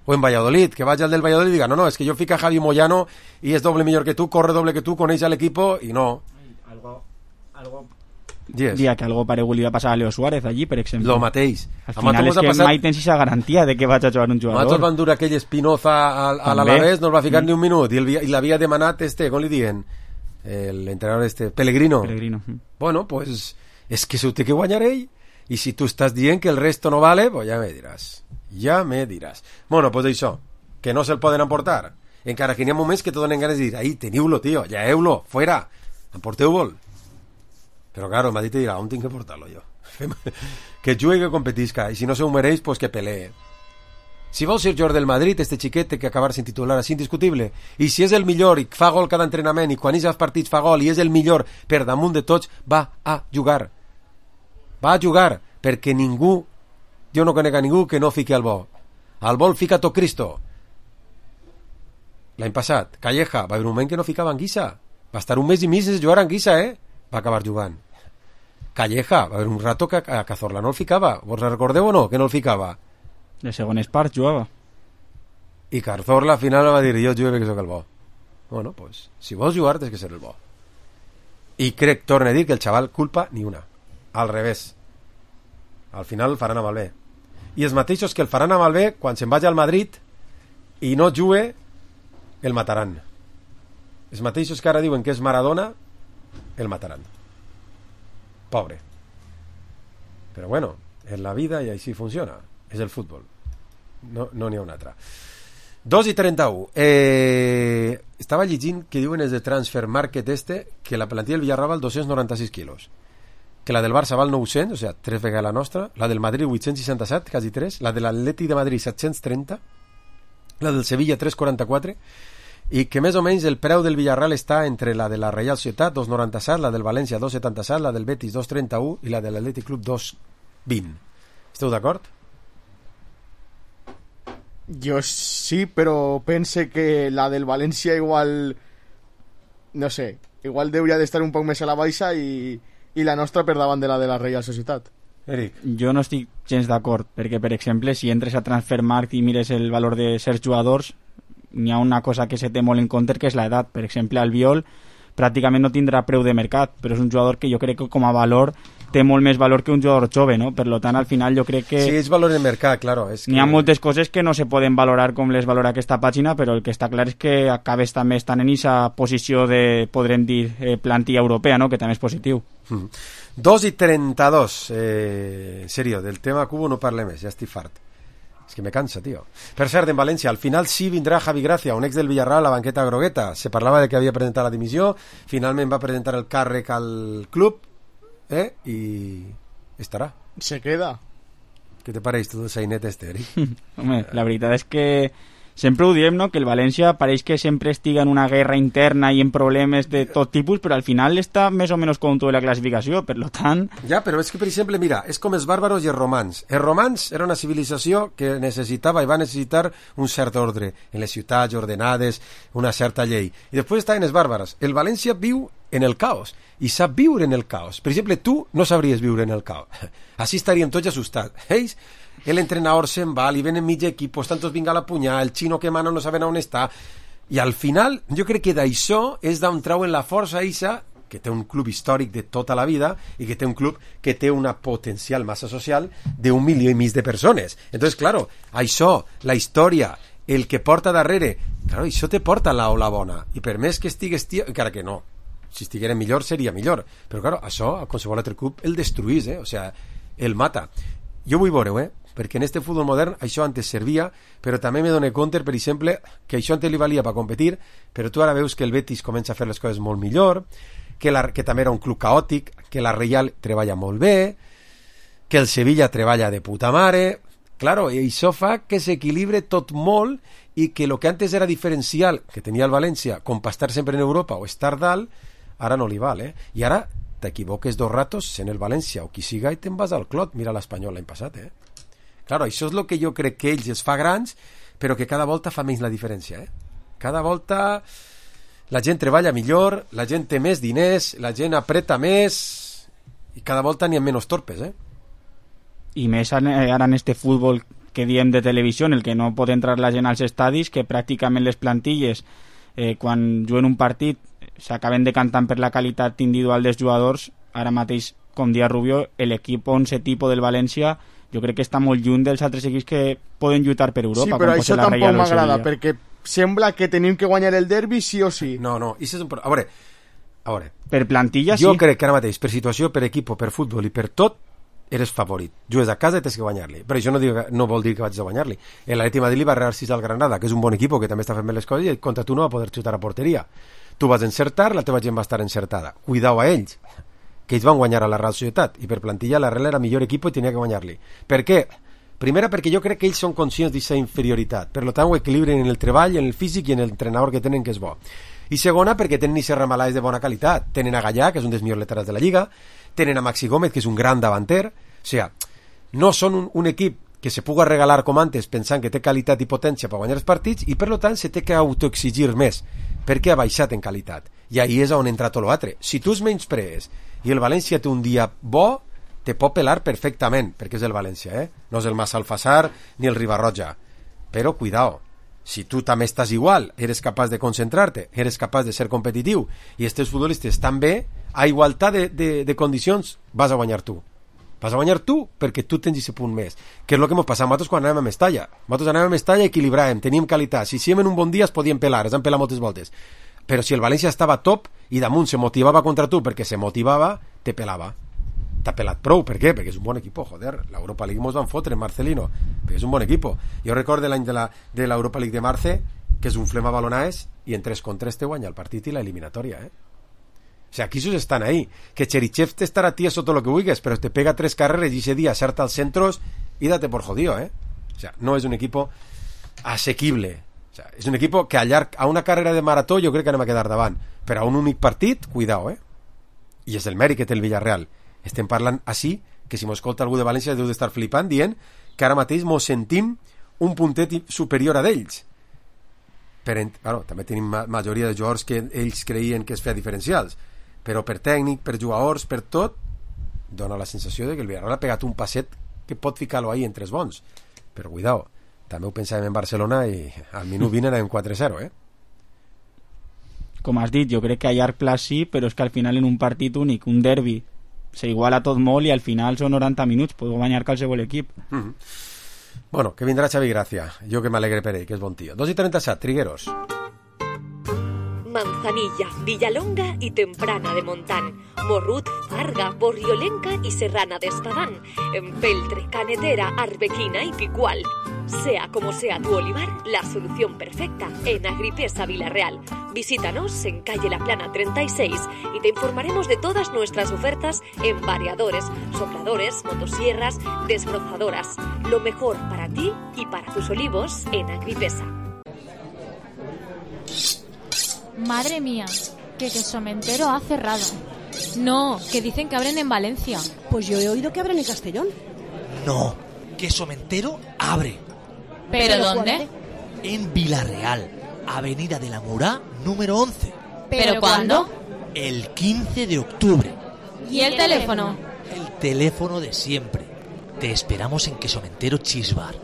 O en Valladolid, que vagi al del Valladolid i diga, no, no, és que jo fica Javi Moyano i és doble millor que tu, corre doble que tu, coneix l'equip, i no. Algo... algo... Yes. Dia que algo paregut li va passar a Leo Suárez allí, per exemple. Lo mateix. Al final és que passat... mai tens aquesta garantia de que vaig a jugar un jugador. Nosaltres van dur aquell Espinoza a, a l'Alavés, no el va ficar mm. ni un minut, i, el, i l'havia demanat este, com li diuen, l'entrenador este, Pellegrino. Pellegrino. Bueno, pues, és que s'ho té que guanyar ell, i si tu estàs dient que el resto no vale, pues ja me diràs. Ja me diràs. Bueno, pues això, que no se'l poden emportar. Encara que n'hi ha moments que te donen ganes de dir, ahí, teniu-lo, tio, ja heu-lo, fuera, emporteu-vol. Però claro, el Madrid te dirà, on tinc que portar-lo jo? Que jugui, que competisca, i si no se ho mereix, pues que pelee. Si vol ser jugador del Madrid, este xiquet té que acabar sin titular, és indiscutible. I si és el millor i fa gol cada entrenament i quan és als partits fa gol i és el millor per damunt de tots, va a jugar. Va a jugar, perquè ningú, jo no conec a ningú que no fiqui al bo. Al bo el fica tot Cristo. L'any passat, Calleja, va haver un moment que no ficava Anguissa. Va estar un mes i mig sense jugar a Anguissa, eh? Va acabar jugant. Calleja, va haver un rato que a Cazorla no el ficava. Vos recordeu o no, que no el ficava? De segones parts jugava. I Cazorla al final va dir, jo jugué que soc el bo. Bueno, pues, si vols jugar tens que ser el bo. I crec, torna a dir, que el xaval culpa ni una. Al revés. Al final el faran amb el bé. I els mateixos que el faran amb el bé, quan se'n vagi al Madrid i no jugue, el mataran. Els mateixos que ara diuen que és Maradona, el mataran. Pobre. Però bueno, és la vida i així funciona. És el futbol. No no n'hi ha una altra. dos i trenta-u. Eh, estava llegint que diuen els de Transfer Market este que la plantilla del Villarreal val dos-cents noranta-sis quilos. Que la del Barça val nou-cents, o sigui, tres vegades la nostra. La del Madrid vuit-cents seixanta-set, quasi tres. La de l'Atlètic de Madrid set-cents trenta. La del Sevilla tres-cents quaranta-quatre. I que més o menys el preu del Villarreal està entre la de la Reial Societat dos noranta-set, la del València dos setanta-set, la del Betis dos trenta-u i la de l'Atlètic Club dos vint. Esteu d'acord? Jo sí, però pense que la del València igual, no sé, igual hauria d'estar un poc més a la baixa i, i la nostra per davant de la de la Reial Societat. Eric. Jo no estic gens d'acord, perquè per exemple si entres a Transfermarkt i mires el valor de certs jugadors, n'hi ha una cosa que se té molt en compte, que és l'edat. Per exemple, Albiol pràcticament no tindrà preu de mercat, però és un jugador que jo crec que com a valor té molt més valor que un jugador jove, no? Per tant, al final jo crec que... Sí, és valor de mercat, claro. És que... N'hi ha moltes coses que no se poden valorar com les valora aquesta pàgina, però el que està clar és que acabes també estant en aquesta posició de, podrem dir, eh, plantilla europea, no? Que també és positiu. Mm. dos i trenta-dos. Eh, serio, del tema Cubo no parle més, ja estic fart. És que me cansa, tio. Per cert, en València, al final sí vindrà Javi Gracia, un ex del Villarreal, a la banqueta grogueta. Se parlava de que havia presentat la dimissió, finalment va presentar el càrrec al club, eh? I estarà. Se queda. Què te pareix tot el sainet este, Eric? Home, la veritat és que sempre ho diem, no?, que el València pareix que sempre estiga en una guerra interna i en problemes de tot tipus, però al final està més o menys conto de la classificació, per tant... Ja, però és que, per exemple, mira, és com els bàrbaros i els romans. Els romans era una civilització que necessitava i va necessitar un cert ordre en les ciutats ordenades, una certa llei. I després estaven els bàrbaros. El València viu en el caos i sap viure en el caos. Per exemple, tu no sabries viure en el caos. Així estaríem tots assustats. Ells... El entrenador se'n va, li venen mig equipos, tantos vinga a la punyà, el xino que mana no saben on està, i al final jo crec que d'això és d'on trauen la força eixa, que té un club històric de tota la vida i que té un club que té una potencial massa social d'un milió i mig de persones. Entonces, claro, això, la història, el que porta darrere, claro, això te porta la ola bona, i per més que estigues tio, encara que no, si estiguera millor seria millor, però claro, això a qualsevol altre club el destruís, eh? O sea, el mata. Jo vull veure-ho, eh? Perquè en este futbol modern això antes servia, però també me dono compte, per exemple, que això antes li valia per competir, però tu ara veus que el Betis comença a fer les coses molt millor, que, la, que també era un club caòtic, que la Reial treballa molt bé, que el Sevilla treballa de puta mare. Claro, i això fa que s'equilibre tot molt i que el que antes era diferencial, que tenia el València, com per estar sempre en Europa o estar dalt, ara no li val, eh? I ara t'equivoques dos ratos sent el València o qui siga i te'n vas al clot. Mira l'Espanyol l'any passat, eh? Claro, això és el que jo crec que ells es fa grans, però que cada volta fa menys la diferència, eh? Cada volta la gent treballa millor, la gent té més diners, la gent apreta més i cada volta n'hi ha menys torpes, eh? I més ara en este futbol que diem de televisió, en el que no pot entrar la gent als estadis, que pràcticament les plantilles, eh, quan juguen un partit, s'acaben decantant per la qualitat individual dels jugadors. Ara mateix, com dia Rubio, l'equip onze tipo del València jo crec que està molt lluny dels altres equips que poden lluitar per Europa. Sí, però això tampoc m'agrada, perquè sembla que tenim que guanyar el derbi sí o sí. No, no, és un... a veure, a veure, per plantilla jo sí. crec que ara mateix, per situació, per equip, per futbol i per tot, eres favorit. Jugues a casa i tens que guanyar-li. Però això no, diu, no vol dir que vaig a guanyar-li. L'Atleti Madrid li va regalar sis al Granada, que és un bon equip que també està fent bé les coses, i contra tu no va poder xutar a porteria. Tu vas encertar, la teva gent va estar encertada. Cuidao a ells, que ells van guanyar a la Real Societat, i per plantilla la Real era millor equip i tenia que guanyar-li. Per què? Primera, perquè jo crec que ells són conscients d'aquesta inferioritat, per tant ho equilibren en el treball, en el físic i en l'entrenador que tenen, que és bo. I segona, perquè tenen i Serramalà de bona qualitat. Tenen a Gallà, que és un dels millors laterals de la Lliga, tenen a Maxi Gómez, que és un gran davanter. O sigui, no són un, un equip que se puga regalar com antes pensant que té qualitat i potència per guanyar els partits, i per tant se té que autoexigir més perquè ha baixat en qualitat, i ahí és on entra tot l'altre. Si tu es menysprees i el València té un dia bo, te pot pelar perfectament, perquè és el València, eh? No és el Massalfassar ni el Ribarroja, però cuidao, si tu també estàs igual, eres capaç de concentrar-te, eres capaç de ser competitiu i els teus futbolistes estan bé, a igualtat de, de, de condicions vas a guanyar tu. Vas a guanyar tu perquè tu tens aquest punt més, que és el que ens passava nosaltres quan anàvem a Mestalla. Nosaltres anàvem a Mestalla i equilibràvem, teníem qualitat, si siem en un bon dia es podien pelar, es van pelar moltes voltes, però si el València estava top i damunt se motivava contra tu perquè se motivava, te pelava. T'ha pelat prou, per què? Perquè és un bon equip, joder, l'Europa League mos van fotre, Marcelino, perquè és un bon equip. Jo recordo l'any de l'Europa League de Marce, que és un flema balonaes, i en tres contra tres te guanya el partit i la eliminatòria, eh? O sea, aquí esos están ahí. Que Cherichev te estará tieso todo lo que huigues, pero te pega tres carreras y ese día acerta als centros y date por jodido, ¿eh? O sea, no es un equipo asequible. O sea, és un equipo que a, llarg, a una carrera de marató jo crec que anem a quedar davant. Però a un únic partit, cuidao, eh? I és el mèrit que té el Villarreal. Estem parlant així, que si m'escolta algú de València deu d'estar flipant dient que ara mateix mos sentim un puntet superior a d'ells. Però, bueno, també tenim ma majoria de jugadors que ells creien que es feia diferencials, però per tècnic, per jugadors, per tot, dona la sensació de que el Villarreal ha pegat un passet que pot ficar-lo ahí en tres bons. Però cuidao, també ho pensàvem en Barcelona i al minut vint anàvem quatre zero, eh? Com has dit, jo crec que a llarg plaç sí, però és que al final en un partit únic, un derbi, s'iguala tot molt i al final són noranta minuts, pot guanyar qualsevol equip. Mm-hmm. Bueno, que vindrà Xavi Gracia, jo que m'alegre per ell, que és bon tio. dos i trenta-set, Trigueros. Manzanilla, Villalonga y Temprana de Montán, Morrut, Farga, Borriolenca y Serrana de Espadán, Empeltre, Canetera, Arbequina y Picual. Sea como sea tu olivar, la solución perfecta en Agripesa Villarreal. Visítanos en calle La Plana treinta y seis y te informaremos de todas nuestras ofertas en variadores, sopladores, motosierras, desbrozadoras. Lo mejor para ti y para tus olivos en Agripesa. Madre mía, que Quesomentero ha cerrado. No, que dicen que abren en Valencia. Pues yo he oído que abren en Castellón. No, Quesomentero abre. ¿Pero, ¿Pero dónde? En Villarreal, Avenida de la Murá, número once. ¿Pero cuándo? El quince de octubre. ¿Y el teléfono? El teléfono de siempre. Te esperamos en Quesomentero Cheese Bar.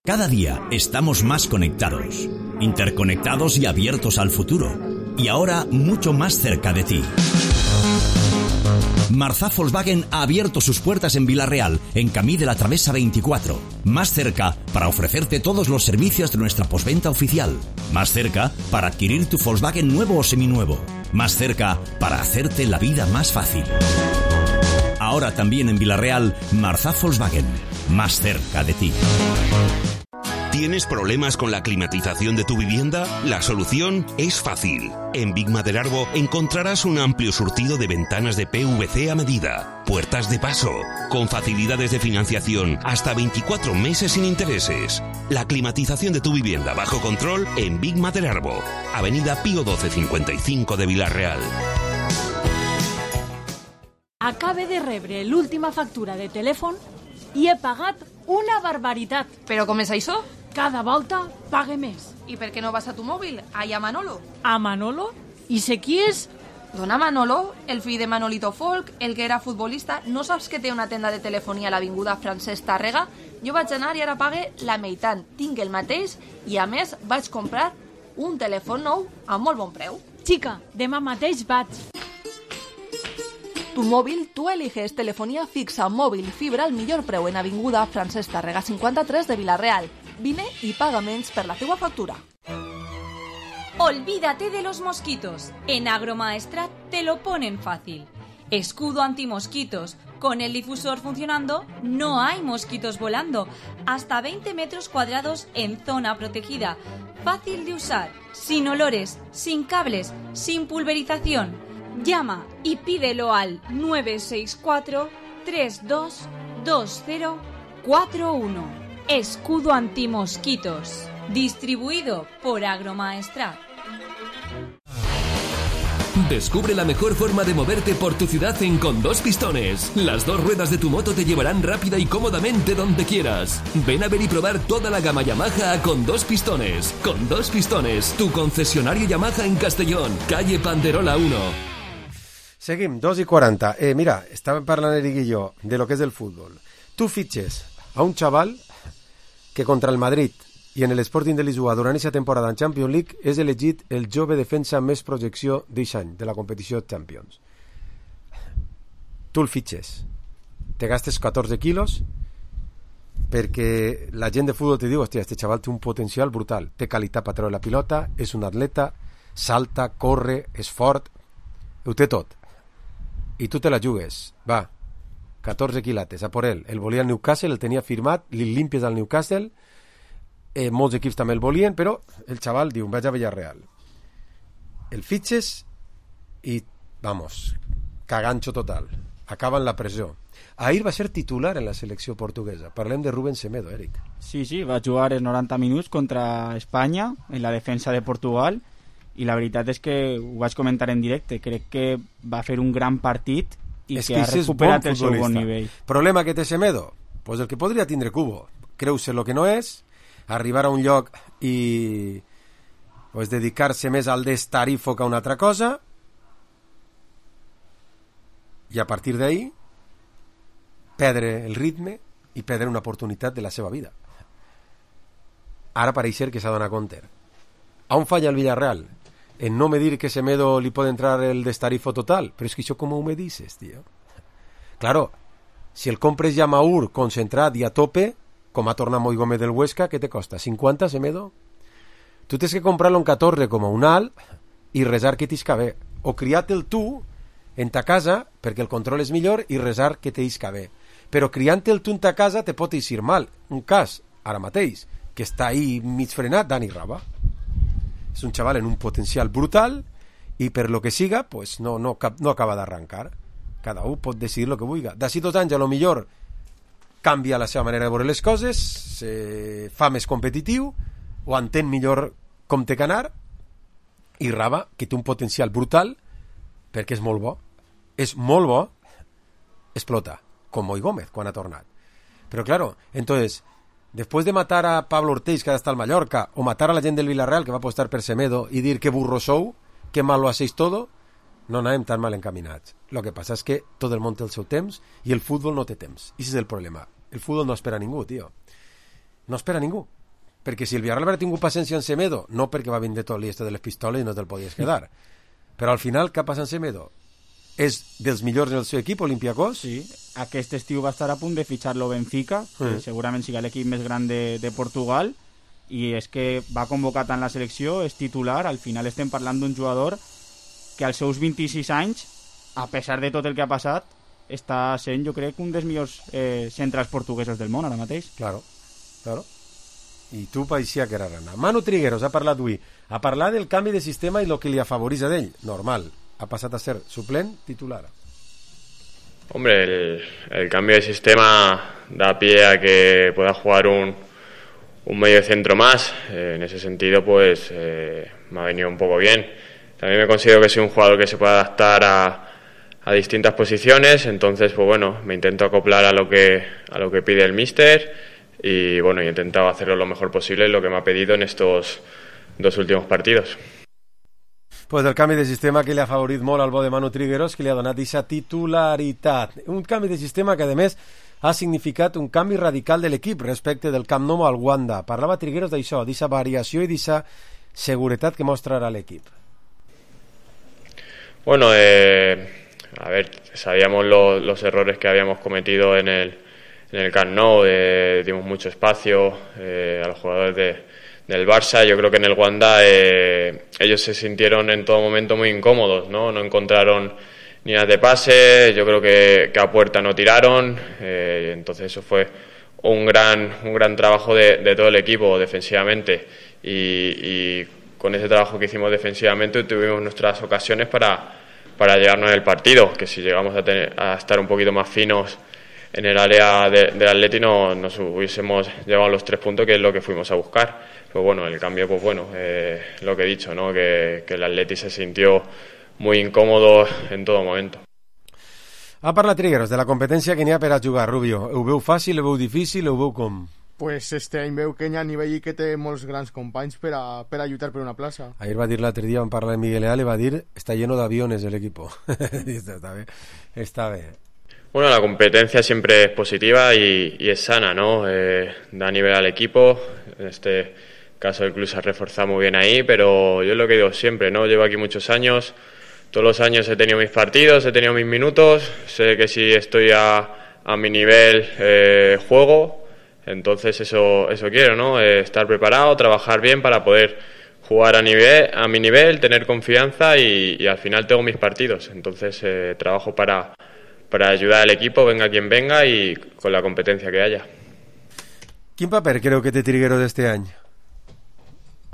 Cada día estamos más conectados, interconectados y abiertos al futuro. Y ahora mucho más cerca de ti. Marzá Volkswagen ha abierto sus puertas en Villarreal, en Camí de la Travesa veinticuatro. Más cerca para ofrecerte todos los servicios de nuestra postventa oficial. Más cerca para adquirir tu Volkswagen nuevo o seminuevo. Más cerca para hacerte la vida más fácil. Ahora también en Villarreal, Marzá Volkswagen. Más cerca de ti. ¿Tienes problemas con la climatización de tu vivienda? La solución es fácil. En Big Maderarbo encontrarás un amplio surtido de ventanas de P V C a medida, puertas de paso, con facilidades de financiación hasta veinticuatro meses sin intereses. La climatización de tu vivienda bajo control en Big Maderarbo, Avenida Pío doce cincuenta y cinco de Villarreal. Acabe de rebre l'última factura de telèfon i he pagat una barbaritat. Però com és això? Cada volta pague més. I per què no vas a tu mòbil? Allà a Manolo. A Manolo? I sé qui és? Dona Manolo, el fill de Manolito Folk, el que era futbolista. No saps que té una tenda de telefonia a l'avinguda Francesc Tàrrega? Jo vaig anar i ara pague la meitat. Tinc el mateix i, a més, vaig comprar un telèfon nou a molt bon preu. Xica, demà mateix vaig. Tu móvil, tú eliges telefonía fixa, móvil y fibra al millor preu en avinguda Francesc Tàrrega cincuenta-tres de Villarreal. Vine y paga menys per la teua factura. Olvídate de los mosquitos. En Agromaestrat te lo ponen fácil. Escudo antimosquitos. Con el difusor funcionando, no hay mosquitos volando. Hasta veinte metros cuadrados en zona protegida. Fácil de usar, sin olores, sin cables, sin pulverización. Llama y pídelo al nueve seis cuatro, tres dos dos cero cuatro uno. Escudo antimosquitos. Distribuido por Agromaestrat. Descubre la mejor forma de moverte por tu ciudad en Con Dos Pistones. Las dos ruedas de tu moto te llevarán rápida y cómodamente donde quieras. Ven a ver y probar toda la gama Yamaha a Con Dos Pistones. Con Dos Pistones, tu concesionario Yamaha en Castellón, calle Panderola uno. Seguim, dos i quaranta. Eh, mira, estàvem parlant Eric i jo de lo que és el futbol. Tu fitxes a un xaval que contra el Madrid i en l'Sporting de Lisboa durant aquesta temporada en Champions League és elegit el jove defensa amb més projecció d'aquest any de la competició Champions. Tu el fitxes, te gastes catorze quilos perquè la gent de futbol te diu, hòstia, este xaval té un potencial brutal, té qualitat per treure la pilota, és un atleta, salta, corre, és fort, ho té tot. I tu te la jugues, va, catorze quilates, a por ell. El volia el Newcastle, el tenia firmat, li limpies al Newcastle, eh, molts equips també el volien, però el xaval diu, vaig a Villarreal. El fitxes i, vamos, cagancho total. Acaba en la presó. Ahir va ser titular en la selecció portuguesa. Parlem de Rubén Semedo, Eric. Sí, sí, va jugar els noranta minuts contra Espanya en la defensa de Portugal i la veritat és que ho vaig comentar en directe, crec que va fer un gran partit i és que, que ha recuperat bon el seu bon nivell. Problema que té Semedo? Pues el que podria tindre Cubo, creu-se el que no és, arribar a un lloc i pues, dedicar-se més al destarifo que a una altra cosa i a partir d'ahí perdre el ritme i perdre una oportunitat de la seva vida. Ara pareix ser que s'ha donat compte. On falla el Villarreal? En no me dir que Semedo li pot entrar el destarifo total. Però és que això com ho me dices, tío? Claro, si el compres ja maur, concentrat i a tope, com ha tornat Moi Gómez del Huesca, què te costa? cinquanta, Semedo? Tu tens que comprar-lo en catorze com un alt i resar que t'isca bé. O criar-te'l tu en ta casa, perquè el control és millor, i resar que t'isca bé. Però criant-te'l tu en ta casa te pot eixir mal. Un cas, ara mateix, que està ahí mig frenat, Dani Raba. És un xaval en un potencial brutal i per lo que siga pues no, no, no acaba d'arrancar. Cada un pot decidir el que vulgui. D'ací dos anys a lo millor canvia la seva manera de veure les coses, se fa més competitiu o entén millor com té que anar, i Raba, que té un potencial brutal perquè és molt bo, és molt bo, explota, com Moi Gómez quan ha tornat. Però claro, entonces después de matar a Pablo Ortiz, que ahora está al Mallorca, o matar a la gent del Villarreal, que va apostar per Semedo, y dir que burro sou, que mal lo hacéis todo, no anem tan mal encaminats. Lo que passa és que tot el món té el seu temps i el futbol no té temps. I ese és el problema. El futbol no espera a ningú, tio. No espera a ningú. Perquè si el Villarreal haguera tingut paciència en Semedo, no perquè va vindre tot l'este de les pistoles i no te'l podies quedar, però al final què passa en Semedo? és dels millors en el seu equip, Olympiacos. Sí, aquest estiu va estar a punt de fitxar-lo Benfica, que Mm. segurament sigui l'equip més gran de, de Portugal, i és que va convocat en la selecció, és titular. Al final estem parlant d'un jugador que als seus vint-i-sis anys, a pesar de tot el que ha passat, està sent, jo crec, un dels millors eh, centrals portuguesos del món ara mateix. Claro, claro. I tu paeixia que era rana. Manu Trigueros ha parlat avui. Ha parlat del canvi de sistema i el que li afavoreix d'ell. Normal. Ha passat a ser suplent titular. Hombre, el, el cambio de sistema da pie a que pueda jugar un, un medio centro más. Eh, en ese sentido, pues eh, me ha venido un poco bien. También me considero que soy un jugador que se puede adaptar a, a distintas posiciones. Entonces, pues bueno, me intento acoplar a lo que a lo que pide el míster. Y bueno, he intentado hacerlo lo mejor posible, lo que me ha pedido en estos dos últimos partidos. Pues el canvi de sistema que li ha favorit molt al bo de Manu Trigueros, que li ha donat aquesta titularitat. Un canvi de sistema que, a més, ha significat un canvi radical de l'equip respecte del Camp Nou al Wanda. Parlava Trigueros d'això, d'aquesta variació i d'aquesta seguretat que mostrarà l'equip. Bueno, eh, a ver, sabíamos lo, los errores que habíamos cometido en el en el Camp Nou, eh, dimos mucho espacio eh, a los jugadores de, del Barça. Yo creo que en el Wanda eh, ellos se sintieron en todo momento muy incómodos, ¿no? No encontraron líneas de pase, yo creo que, que a puerta no tiraron, eh, entonces eso fue un gran un gran trabajo de, de todo el equipo defensivamente, y, y con ese trabajo que hicimos defensivamente tuvimos nuestras ocasiones para, para llevarnos el partido, que si llegamos a, tener, a estar un poquito más finos en el área de, del Atleti no, nos hubiésemos llevado los tres puntos, que es lo que fuimos a buscar. Pero bueno, el cambio, pues bueno, eh, lo que he dicho, ¿no? Que, que el Atleti se sintió muy incòmodo en todo momento. Ha parlat Trigueros de la competència que n'hi ha per a jugar, Rubio. Ho veu fàcil, ho veu difícil, ho veu com? Pues este any veu que hi ha nivell i que té molts grans companys per a, per a lluitar per una plaça. Ayer va dir l'altre dia, vam parlar de Miguel Leal, i va dir està lleno d'aviones el equipo. Està bé, està bé. Bueno, la competencia siempre es positiva y, y es sana, ¿no? Eh, da nivel al equipo. En este caso el club se ha reforzado muy bien ahí, pero yo es lo que digo siempre, ¿no? Llevo aquí muchos años, todos los años he tenido mis partidos, he tenido mis minutos, sé que si estoy a, a mi nivel eh, juego, entonces eso, eso quiero, ¿no? Eh, estar preparado, trabajar bien para poder jugar a, nivel, a mi nivel, tener confianza y, y al final tengo mis partidos, entonces eh, trabajo para... para ayudar al equipo, venga quien venga y con la competencia que haya. Quin paper creu que té Trigueros este any?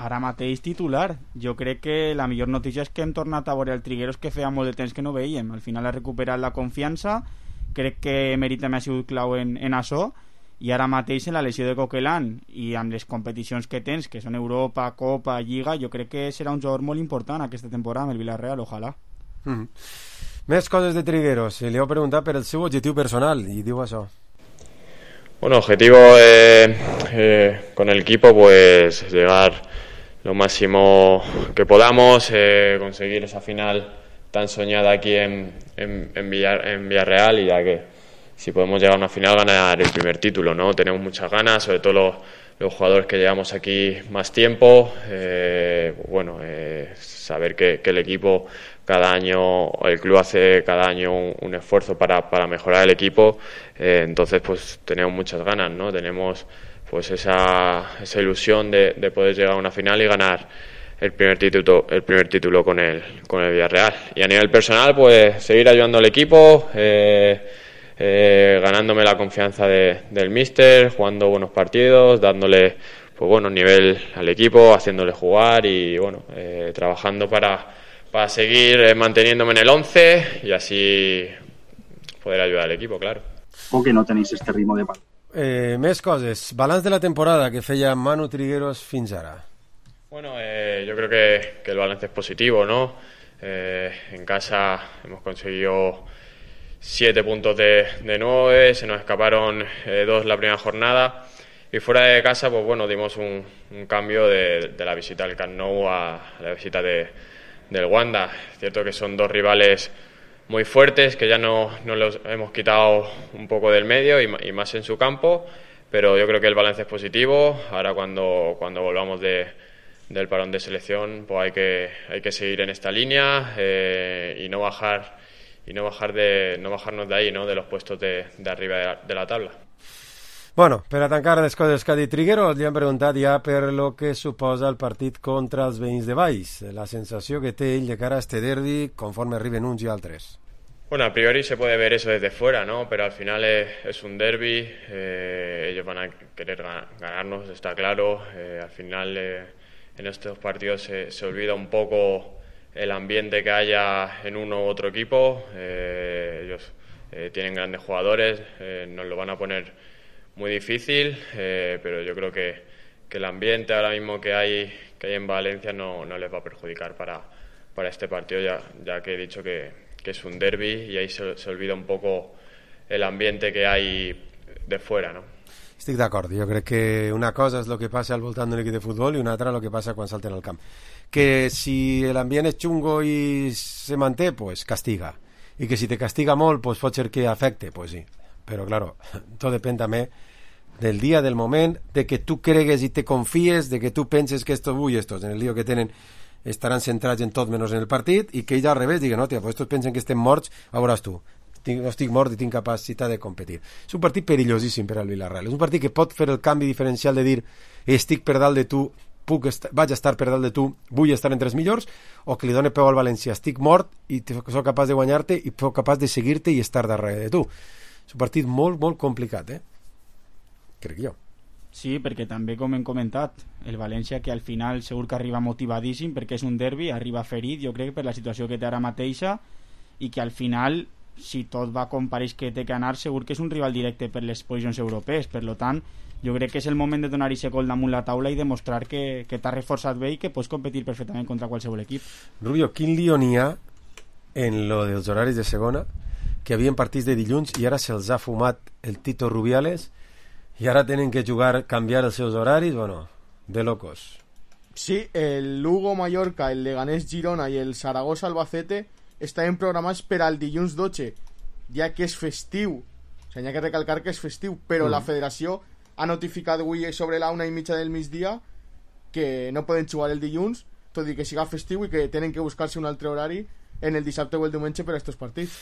Ara mateix titular. Jo crec que la millor notícia és que hem tornat a veure el Trigueros que feia molt de temps que no veiem. Al final ha recuperat la confiança, crec que Emery també ha sigut clau en, en això, i ara mateix en la lesió de Coquelin i amb les competicions que tens, que són Europa, Copa, Lliga, jo crec que serà un jugador molt important aquesta temporada amb el Villarreal, ojalà. Mm. Més coses de Trigueros. Le heu preguntat per el seu objectiu personal i diu això. Bueno, objetivo eh, eh, con el equipo, pues llegar lo máximo que podamos, eh, conseguir esa final tan soñada aquí en, en, en, Villar, en Villarreal, y ya que si podemos llegar a una final, ganar el primer título, ¿no? Tenemos muchas ganas, sobre todo los, los jugadores que llevamos aquí más tiempo, eh, bueno, eh, saber que, que el equipo cada año, el club hace cada año un, un esfuerzo para, para mejorar el equipo, eh, entonces pues tenemos muchas ganas, ¿no? Tenemos pues esa, esa ilusión de, de poder llegar a una final y ganar el primer título, el primer título con el, con el Villarreal. Y a nivel personal, pues seguir ayudando al equipo, eh, eh, ganándome la confianza de, del míster, jugando buenos partidos, dándole pues bueno nivel al equipo, haciéndole jugar y bueno, eh, trabajando para para seguir eh, manteniéndome en el once y así poder ayudar al equipo, claro. O que no tenéis este ritmo de pal. Eh, més coses. Balanç de la temporada que feia Manu Trigueros fins ara. Bueno, eh, yo creo que, que el balance es positivo, ¿no? Eh, en casa hemos conseguido siete puntos de, de nueve, se nos escaparon eh, dos la primera jornada. Y fuera de casa, pues bueno, dimos un, un cambio de, de la visita al Camp Nou a, a la visita de, del Wanda. Es cierto que son dos rivales muy fuertes, que ya no, no los hemos quitado un poco del medio y, y más en su campo, pero yo creo que el balance es positivo. Ahora cuando, cuando volvamos de, del parón de selección, pues hay que, hay que seguir en esta línea eh, y no bajar y no bajar de no bajarnos de ahí, ¿no? De los puestos de, de arriba de la, de la tabla. Bueno, per a tancar les coses que ha dit Trigueros, li han preguntat ja per lo que suposa el partit contra els veïns de Valls, la sensació que té ell de cara a este derbi conforme arriben uns i altres. Bueno, a priori se puede ver eso desde fuera, ¿no? Pero al final es, es un derbi, eh, ellos van a querer ganarnos, está claro. Eh, al final eh, en estos partidos se, se olvida un poco el ambiente que haya en uno u otro equipo. Eh, ellos eh, tienen grandes jugadores, eh, nos lo van a poner muy difícil, eh, pero yo creo que, que el ambiente ahora mismo que hay que hay en Valencia no, no les va a perjudicar para, para este partido, ya, ya que he dicho que, que es un derbi y ahí se, se olvida un poco el ambiente que hay de fuera, ¿no? Estic d'acord, jo crec que una cosa és el que passa al voltant d'un equip de futbol i una altra el que passa quan salten al camp. Que si l'ambient és xungo i se manté, pues castiga. I que si te castiga molt, pues pot ser que afecte, pues sí. Però, claro, tot depèn també del dia, del moment, de que tu cregues i te confies, de que tu penses que estos avui, estos, en el lío que tenen, estaran centrats en tot menys en el partit, i que ells al revés diguen, no, tia, pues estos pensen que estem morts, a veuràs tu, no estic mort i tinc capacitat de competir. És un partit perillosíssim per al Villarreal, és un partit que pot fer el canvi diferencial de dir, estic per dalt de tu, puc est- vaig estar per dalt de tu, vull estar entre els millors, o que li doni peu al València, estic mort i soc capaç de guanyar-te i soc capaç de seguir-te i estar darrere de tu. És un partit molt, molt complicat, eh? Crec jo. Sí, perquè també, com hem comentat, el València, que al final segur que arriba motivadíssim perquè és un derbi, arriba ferit, jo crec, per la situació que té ara mateixa, i que al final, si tot va com pareix que té que anar, segur que és un rival directe per les posicions europees. Per tant, jo crec que és el moment de donar-hi gol damunt la taula i demostrar que, que t'has reforçat bé i que pots competir perfectament contra qualsevol equip. Rubio, quin lío n'hi ha en lo dels horaris de segona, que havien partits de dilluns i ara se'ls ha fumat el Tito Rubiales i ara tenen que jugar, canviar els seus horaris, bueno, de locos. Sí, el Lugo Mallorca, el Leganés Girona i el Zaragoza Albacete estaven programats per al dilluns dotze, ja que és festiu. O sigui, hi ha que recalcar que és festiu, però mm. la federació ha notificat avui sobre la una i mitja del migdia que no poden jugar el dilluns, tot i que siga festiu, i que tenen que buscar-se un altre horari en el dissabte o el diumenge per a aquests partits.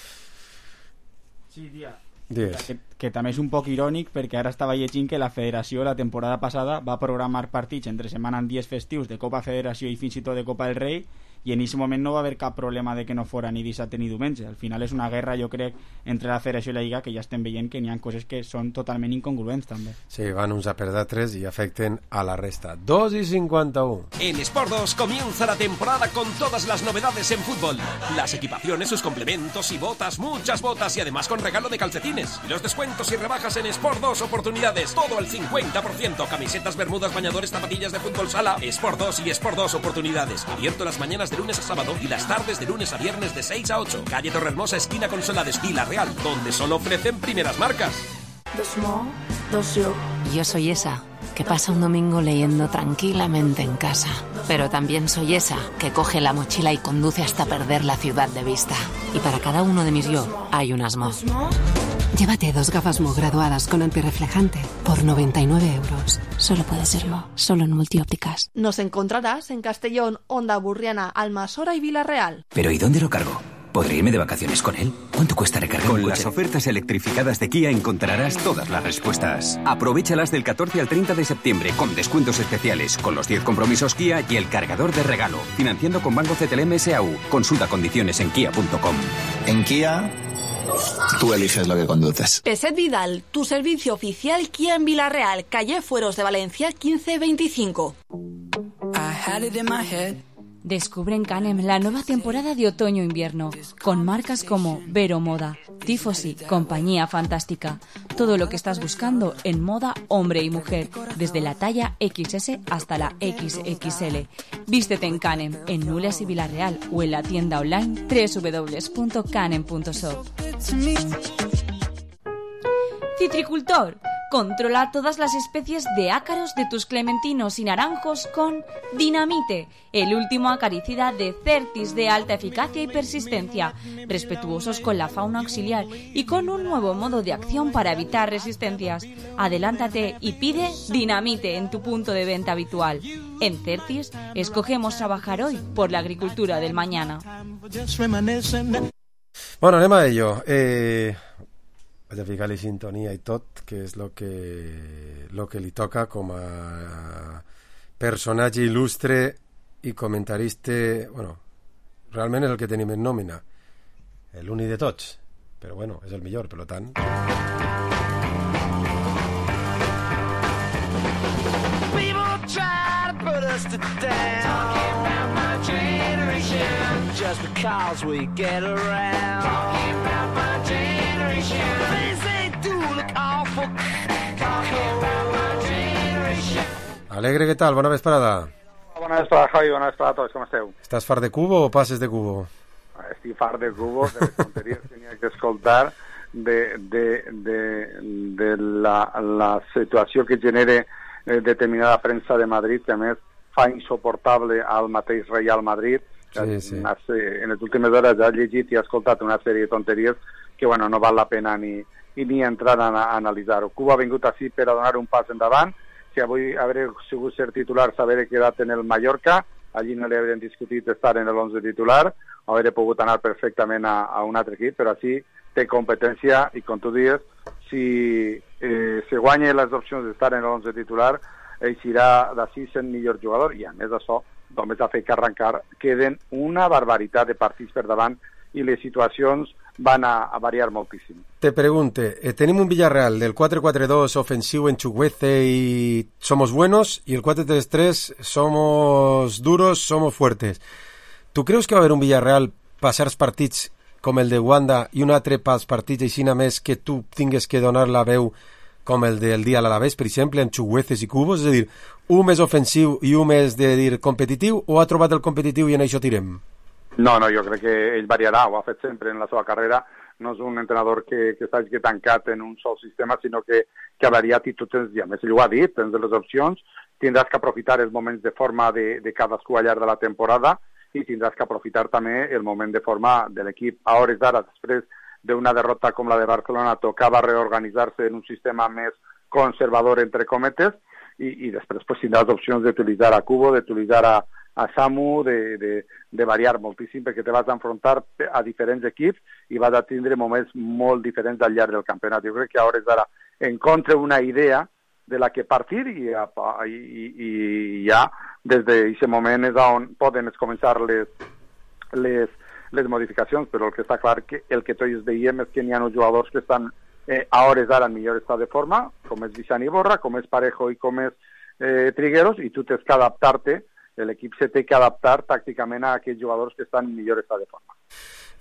Sí, dia. Yes. Que, que també és un poc irònic perquè ara estava llegint que la federació la temporada passada va programar partits entre setmana en dies festius de Copa Federació i fins i tot de Copa del Rei, i en aquest moment no va haver cap problema de que no fora ni dissabte ni diumenge. Al final és una guerra, jo crec, entre la federació i la Lliga, que ja estem veient que n'hi ha coses que són totalment incongruents també. Sí, van uns a per d'altres i afecten a la resta. dos y cincuenta y uno. En Sport dos comienza la temporada con todas las novedades en fútbol. Las equipaciones, sus complementos y botas, muchas botas, y además con regalo de calcetines. Y los descuentos y rebajas en Sport dos, oportunidades, todo al cincuenta por ciento. Camisetas, bermudas, bañadores, zapatillas de fútbol sala. Sport dos y Sport dos, oportunidades. Abierto las mañanas de lunes a sábado y las tardes de lunes a viernes de seis a ocho. Calle Torrehermosa, esquina con Solades, Villarreal, donde solo ofrecen primeras marcas. Dos mo, dos yo. Yo soy esa que pasa un domingo leyendo tranquilamente en casa. Pero también soy esa que coge la mochila y conduce hasta perder la ciudad de vista. Y para cada uno de mis yo hay unas mo. Llévate dos gafas Mo graduadas con antirreflejante por noventa y nueve euros. Solo puede ser Mo, solo en Multiópticas. Nos encontrarás en Castellón, Onda Burriana, Almasora y Villarreal. ¿Pero y dónde lo cargo? ¿Podré irme de vacaciones con él? ¿Cuánto cuesta recargar un coche? Con las ofertas electrificadas de Kia encontrarás todas las respuestas. Aprovéchalas del catorce al treinta de septiembre con descuentos especiales, con los diez compromisos Kia y el cargador de regalo. Financiando con Banco C T L M S A U. Consulta condiciones en kia punto com. En Kia, tú eliges lo que conduces. Peset Vidal, tu servicio oficial Kia en Villarreal, calle Fueros de Valencia quince veinticinco. Descubre en Canem la nueva temporada de otoño-invierno, con marcas como Vero Moda, Tifosi, Compañía Fantástica. Todo lo que estás buscando en moda hombre y mujer, desde la talla equis ese hasta la equis equis ele. Vístete en Canem, en Nules y Villarreal, o en la tienda online doble u doble u doble u punto canem punto shop. Citricultor. Controla todas las especies de ácaros de tus clementinos y naranjos con Dinamite, el último acaricida de Certis de alta eficacia y persistencia, respetuosos con la fauna auxiliar y con un nuevo modo de acción para evitar resistencias. Adelántate y pide Dinamite en tu punto de venta habitual. En Certis, escogemos trabajar hoy por la agricultura del mañana. Bueno, anem a ello. Eh, vaig a ficar-li sintonia i tot, que és el que, lo que li toca com a personatge il·lustre i comentarista, bueno, realment és el que tenim en nòmina, l'únic de tots, però bueno, és el millor, per tant. People try to put us to down, talking about my generation, just because we get around, talking about my generation, things they do look awful, talking about my generation. Alegre, què tal? Bona vesprada. Bona vesprada, Javi, bona vesprada a tots, com esteu? Estàs fart de cubo o passes de cubo? Estic fart de cubo, de les tonteries que n'hi ha que escoltar, de, de, de, de la, la situació que genera eh, determinada premsa de Madrid, que a més fa insuportable al mateix Real Madrid. Sí, sí. En les últimes hores ha llegit i ha escoltat una sèrie de tonteries que bueno, no val la pena ni, ni entrar a, a analitzar-ho. Cuba ha vingut així per a donar un pas endavant. Si avui hagués sigut ser titular, s'haver quedat en el Mallorca, allí no li haurien discutit estar en l'onze titular, hauria pogut anar perfectament a, a un altre equip, però així té competència i, com tu dius, si eh, se guanya les opcions d'estar en l'onze titular, eixirà d'ací sent millor jugador, i a més d'això, només ha fet que arrencar, queden una barbaritat de partits per davant i les situacions van a, a variar moltíssim. Te pregunte, eh, tenim un Villarreal del quatre quatre dos ofensivo en Chuguece y somos buenos, y el cuatro tres tres somos duros, somos fuertes. ¿Tu creus que va haver un Villarreal passar els partits com el de Wanda i un altre pels partits així més que tu tingues que donar la veu com el del dia a l'Alavés, per exemple, amb Chugueces i Cubos? És a dir, un més ofensiu i un més de dir competitiu, o ha trobat el competitiu i en això tirem? No, no, jo crec que ell variarà, ho ha fet sempre en la seva carrera, no és un entrenador que, que s'hagi tancat en un sol sistema, sinó que, que ha variat i tu tens, i a més ell ho ha dit, tens les opcions, tindràs que aprofitar els moments de forma de, de cadascú al llarg de la temporada i tindràs que aprofitar també el moment de forma de l'equip. A hores d'ara, després d'una derrota com la de Barcelona, tocava reorganitzar-se en un sistema més conservador, entre cometes, i, i després pues, tindràs opcions d'utilitzar a Cubo, d'utilitzar a a Samu, de, de, de variar moltíssim, perquè te vas enfrontar a diferents equips i vas a tindre moments molt diferents al llarg del campionat. Jo crec que a hores d'ara encontre una idea de la que partir i, i, i, i ja des d'aquest moment és on poden començar les, les, les modificacions, però el que està clar que el que tots veiem és que n'hi ha uns jugadors que estan eh, a hores d'ara en millor estat de forma, com és Vicent Iborra, com és Parejo i com és eh, Trigueros, i tu tens que adaptar-te. L'equip se té que adaptar tàcticament a aquells jugadors que estan en millor estat de forma.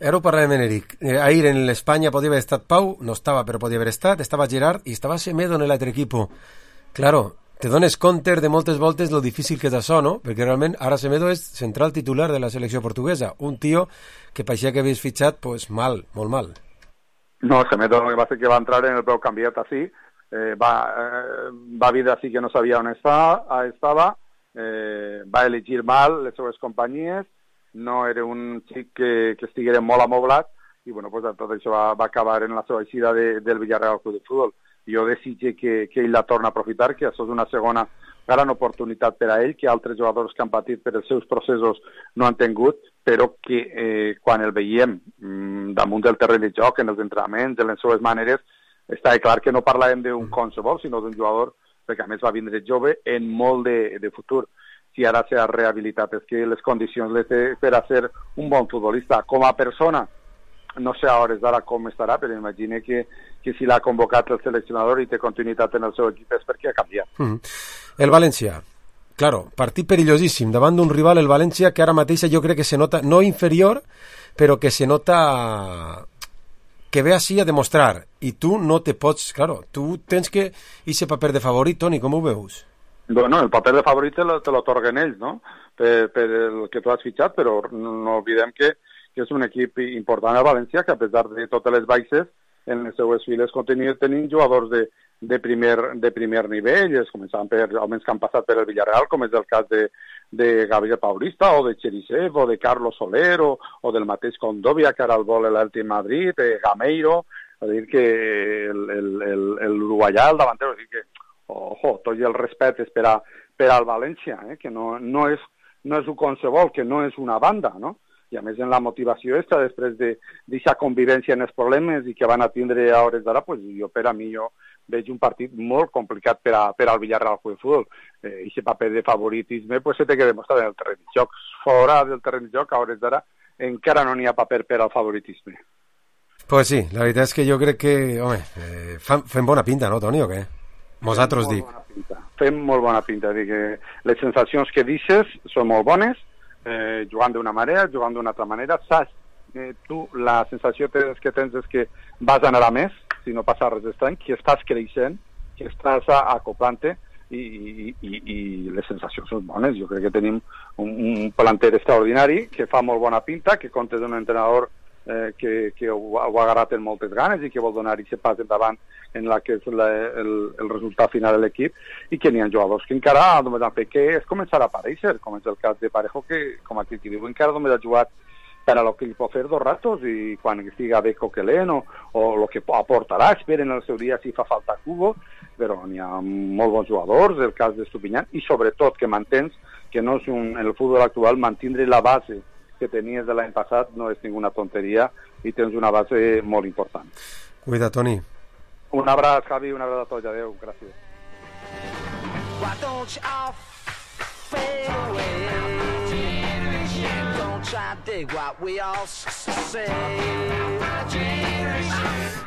Ara ho parlem en Eric. Eh, ahir en l'Espanya podia haver estat Pau, no estava, però podia haver estat, estava Gerard i estava Semedo en l'altre equip. Claro, te dones compte de moltes voltes lo difícil que és això, no? Perquè realment ara Semedo és central titular de la selecció portuguesa, un tio que pareixia que havies fitxat pues, mal, molt mal. No, Semedo va ser que va entrar en el preu canviat així, eh, va, eh, va dir així que no sabia on estava, estava Eh, va elegir mal les seves companyies, no era un xic que, que estiguera molt amoblat i bueno, pues, tot això va, va acabar en la seva eixida de, del Villarreal Club de Futbol. Jo desitge que, que ell la torna a aprofitar, que això és una segona gran oportunitat per a ell, que altres jugadors que han patit per els seus processos no han tingut, però que eh, quan el veiem mm, damunt del terreny de joc, en els entrenaments, en les seves maneres, està clar que no parlàvem d'un qualsevol, sinó d'un jugador perquè a més va vindre jove en molt de, de futur. Si ara s'ha rehabilitat, és que les condicions les té per a ser un bon futbolista. Com a persona, no sé a hores d'ara com estarà, però imagine que, que si l'ha convocat el seleccionador i té continuïtat en el seu equip és perquè ha canviat. Mm. El València, claro, partit perillosíssim, davant d'un rival, el València, que ara mateix jo crec que se nota, no inferior, però que se nota que ve així a demostrar, i tu no te pots, claro, tu tens que ese paper de favorit, Toni, com ho veus? Bueno, el paper de favorit te l'otorguen ells, no? Per, per el que tu has fitxat, però no oblidem que, que és un equip important a València, que a pesar de totes les baixes, en les seues files continuen tenint jugadors de, de, primer, de primer nivell, es començaven per homes que han passat per el Villarreal, com és el cas de, de Gabriel Paulista, o de Cherisev, o de Carlos Soler, o, o del mateix Condovia, que ara el vol l'Elche Madrid, eh, Gameiro, a dir que l'uruguaià, el davantero, a dir que, ojo, tot i el respecte és per, a, per al València, eh, que no, no, és, no és un qualsevol, que no és una banda, no? i a més en la motivació esta, després d'aquesta convivència en els problemes i que van a tindre a hores d'ara, pues, jo per a mi jo veig un partit molt complicat per, a, per al Villarreal Club de Futbol. Eh, I aquest paper de favoritisme pues, se té que demostrar en el terreny de joc. Fora del terreny de joc, a hores d'ara, encara no n'hi ha paper per al favoritisme. Pues sí, la veritat és que jo crec que, home, eh, fan, fem bona pinta, no, Toni, o què? Nosaltres dic. Fem molt bona pinta. Dic que les sensacions que deixes són molt bones, eh, jugant d'una manera, jugant d'una altra manera. Saps, eh, tu la sensació que tens és que vas anar a més, si no passa res estrany, que estàs creixent, que estàs acoplant-te i, i, i, i les sensacions són bones. Jo crec que tenim un, un planter extraordinari que fa molt bona pinta, que compta d'un entrenador eh, que, que ho, ho ha agarrat en moltes ganes i que vol donar aquest pas endavant en la que és la, el, el resultat final de l'equip i que n'hi ha jugadors que encara només han fet que és començar a aparèixer, com és el cas de Parejo, que com aquí qui diu encara només ha jugat per a lo que li pot fer dos ratos i quan estiga bé Coquelin o, o el que aportarà, esperen el seu dia si fa falta Cubo, però n'hi ha molt bons jugadors, el cas d'Estupiñán, i sobretot que mantens que no és un, en el futbol actual mantindre la base que tenies de l'any passat no és ninguna tonteria i tens una base molt important. Cuida, Toni. Un abraç, Javi, un abraç a tots, adeu, gràcies. Why don't you all fade away? Don't try to dig what we all say.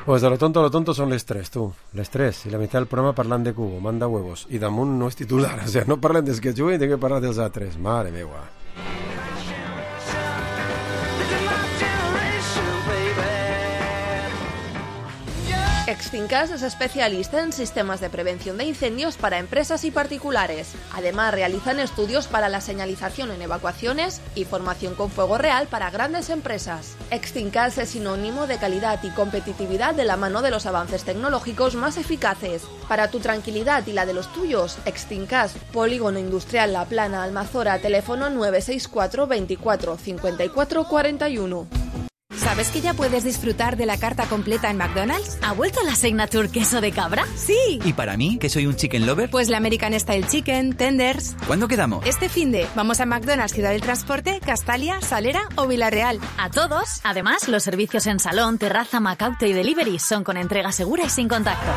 Pues de lo tonto a lo tonto son les tres, tu. Les tres. I la meitat del programa parlant de Cubo, manda huevos. I damunt no és titular. O sea, no parlem dels que juguen i tinc que parlar dels altres. Mare meua. Extincas es especialista en sistemas de prevención de incendios para empresas y particulares. Además, realizan estudios para la señalización en evacuaciones y formación con fuego real para grandes empresas. Extincas es sinónimo de calidad y competitividad de la mano de los avances tecnológicos más eficaces. Para tu tranquilidad y la de los tuyos, Extincas, Polígono Industrial La Plana, Almazora, teléfono nueve seis cuatro veinticuatro cincuenta y cuatro cuarenta y uno. ¿Sabes que ya puedes disfrutar de la carta completa en McDonald's? ¿Ha vuelto la Signature queso de cabra? ¡Sí! ¿Y para mí, que soy un chicken lover? Pues la American Style Chicken, Tenders... ¿Cuándo quedamos? Este finde, vamos a McDonald's Ciudad del Transporte, Castalia, Salera o Villarreal. A todos. Además, los servicios en salón, terraza, Macaute y delivery son con entrega segura y sin contacto.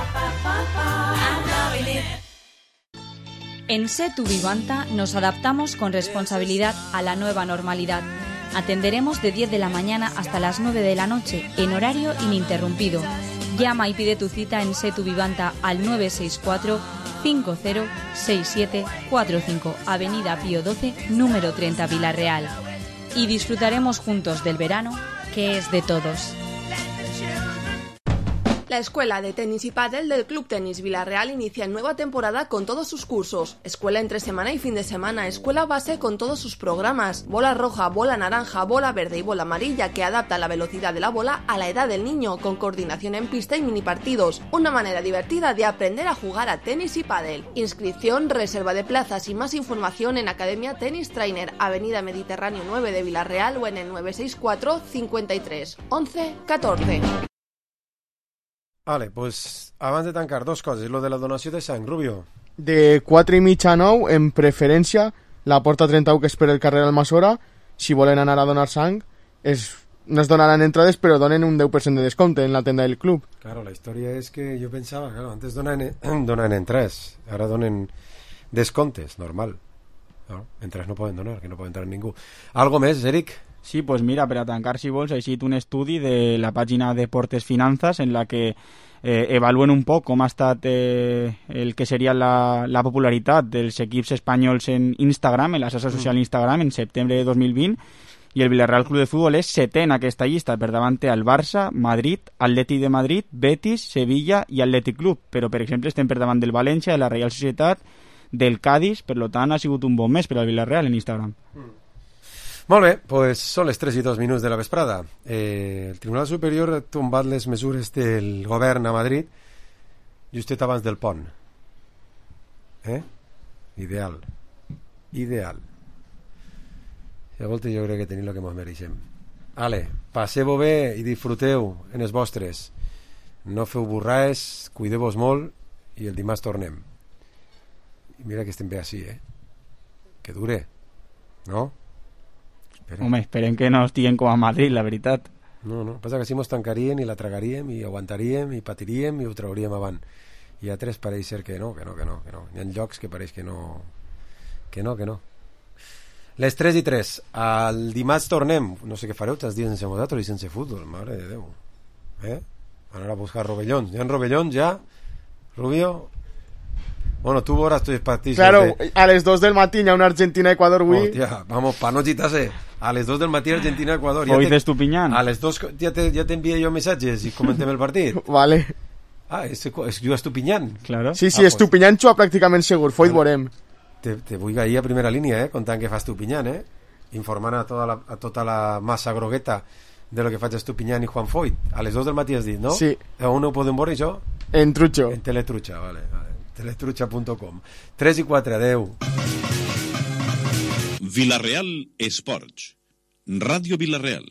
En Setu Vivanta nos adaptamos con responsabilidad a la nueva normalidad. Atenderemos de diez de la mañana hasta las nueve de la noche, en horario ininterrumpido. Llama y pide tu cita en Setu Vivanta al nueve seis cuatro cinco cero seis siete cuatro cinco, Avenida Pío doce, número treinta, Villarreal. Y disfrutaremos juntos del verano, que es de todos. La Escuela de Tenis y Pádel del Club Tenis Villarreal inicia nueva temporada con todos sus cursos. Escuela entre semana y fin de semana, escuela base con todos sus programas. Bola roja, bola naranja, bola verde y bola amarilla que adapta la velocidad de la bola a la edad del niño, con coordinación en pista y mini partidos. Una manera divertida de aprender a jugar a tenis y pádel. Inscripción, reserva de plazas y más información en Academia Tennis Trainer, Avenida Mediterráneo nueve de Villarreal o en el nueve seis cuatro cincuenta y tres once catorce. Vale, pues abans de tancar, dos coses. Lo de la donació de sang, Rubio. De quatre i mitja a nou, en preferència, la porta trenta-u, que és per el carrer Almassora, si volen anar a donar sang, es, no es donaran entrades, però donen un deu per cent de descompte en la tenda del club. Claro, la història és que jo pensava, claro, antes donen, donen entrades, ara donen descomptes, normal. No? Entrades no poden donar, que no poden entrar ningú. Algo més, Eric? Sí, pues mira, per a tancar, si vols, ha eixit un estudi de la pàgina Deportes Finanzas en la que eh, evaluen un poc com ha estat eh, el que seria la, la popularitat dels equips espanyols en Instagram, en la xarxa social Instagram, en setembre de dos mil vint, i el Villarreal Club de Futbol és setè en aquesta llista, per davant té el Barça, Madrid, Atleti de Madrid, Betis, Sevilla i Atlètic Club, però per exemple estem per davant del València, de la Reial Societat, del Cádiz, per tant ha sigut un bon mes per al Villarreal en Instagram. Mm. Molt bé, pues són les tres i dos minuts de la vesprada. Eh, el Tribunal Superior ha tombat les mesures del govern a Madrid justet abans del pont. Eh? Ideal. Ideal. Si a volta jo crec que tenim el que ens mereixem. Ale, passeu-ho bé i disfruteu en els vostres. No feu burraes, cuideu-vos molt i el dimarts tornem. I mira que estem bé així, eh? Que dure, no? Esperem. Home, esperem que no estiguen com a Madrid, la veritat. No, no, passa que si mos tancaríem i la tragaríem i aguantaríem i patiríem i ho trauríem avant. I a tres pareix ser que no, que no, que no, que no. Hi ha llocs que pareix que no, que no, que no. Les tres i tres. El dimarts tornem. No sé què fareu, tres dies sense vosaltres i sense futbol, mare de Déu. Eh? Anar a buscar rovellons. Hi ha rovellons ja? Rubio? Bueno, tu veuràs tus partits. Claro, de... a les dos del matí hi ha una Argentina-Equador avui. Hòstia, vamos, pa no gitar-se. A les dos del matí Argentina-Equador. Hoy de Estupiñán. A les dos ja te, ja t'envia jo missatges i comentem el partit. Vale. Ah, és, és juga Estupiñán. Claro. Sí, sí, ah, Estupiñán xua pràcticament segur, foi vale. Veurem. Te, te vull ahir a primera línia, eh, contant que fa Estupiñán, eh, informant a tota la, a tota la massa grogueta de lo que faig Estupiñán i Juan Foyt. A les dos del matí has dit, no? Sí. On ho podem veure, això? En Trucho. En Teletrucha, vale, vale. teletrucha punto com. tres i quatre, adeu. Vilareal Esports. Ràdio Vilareal.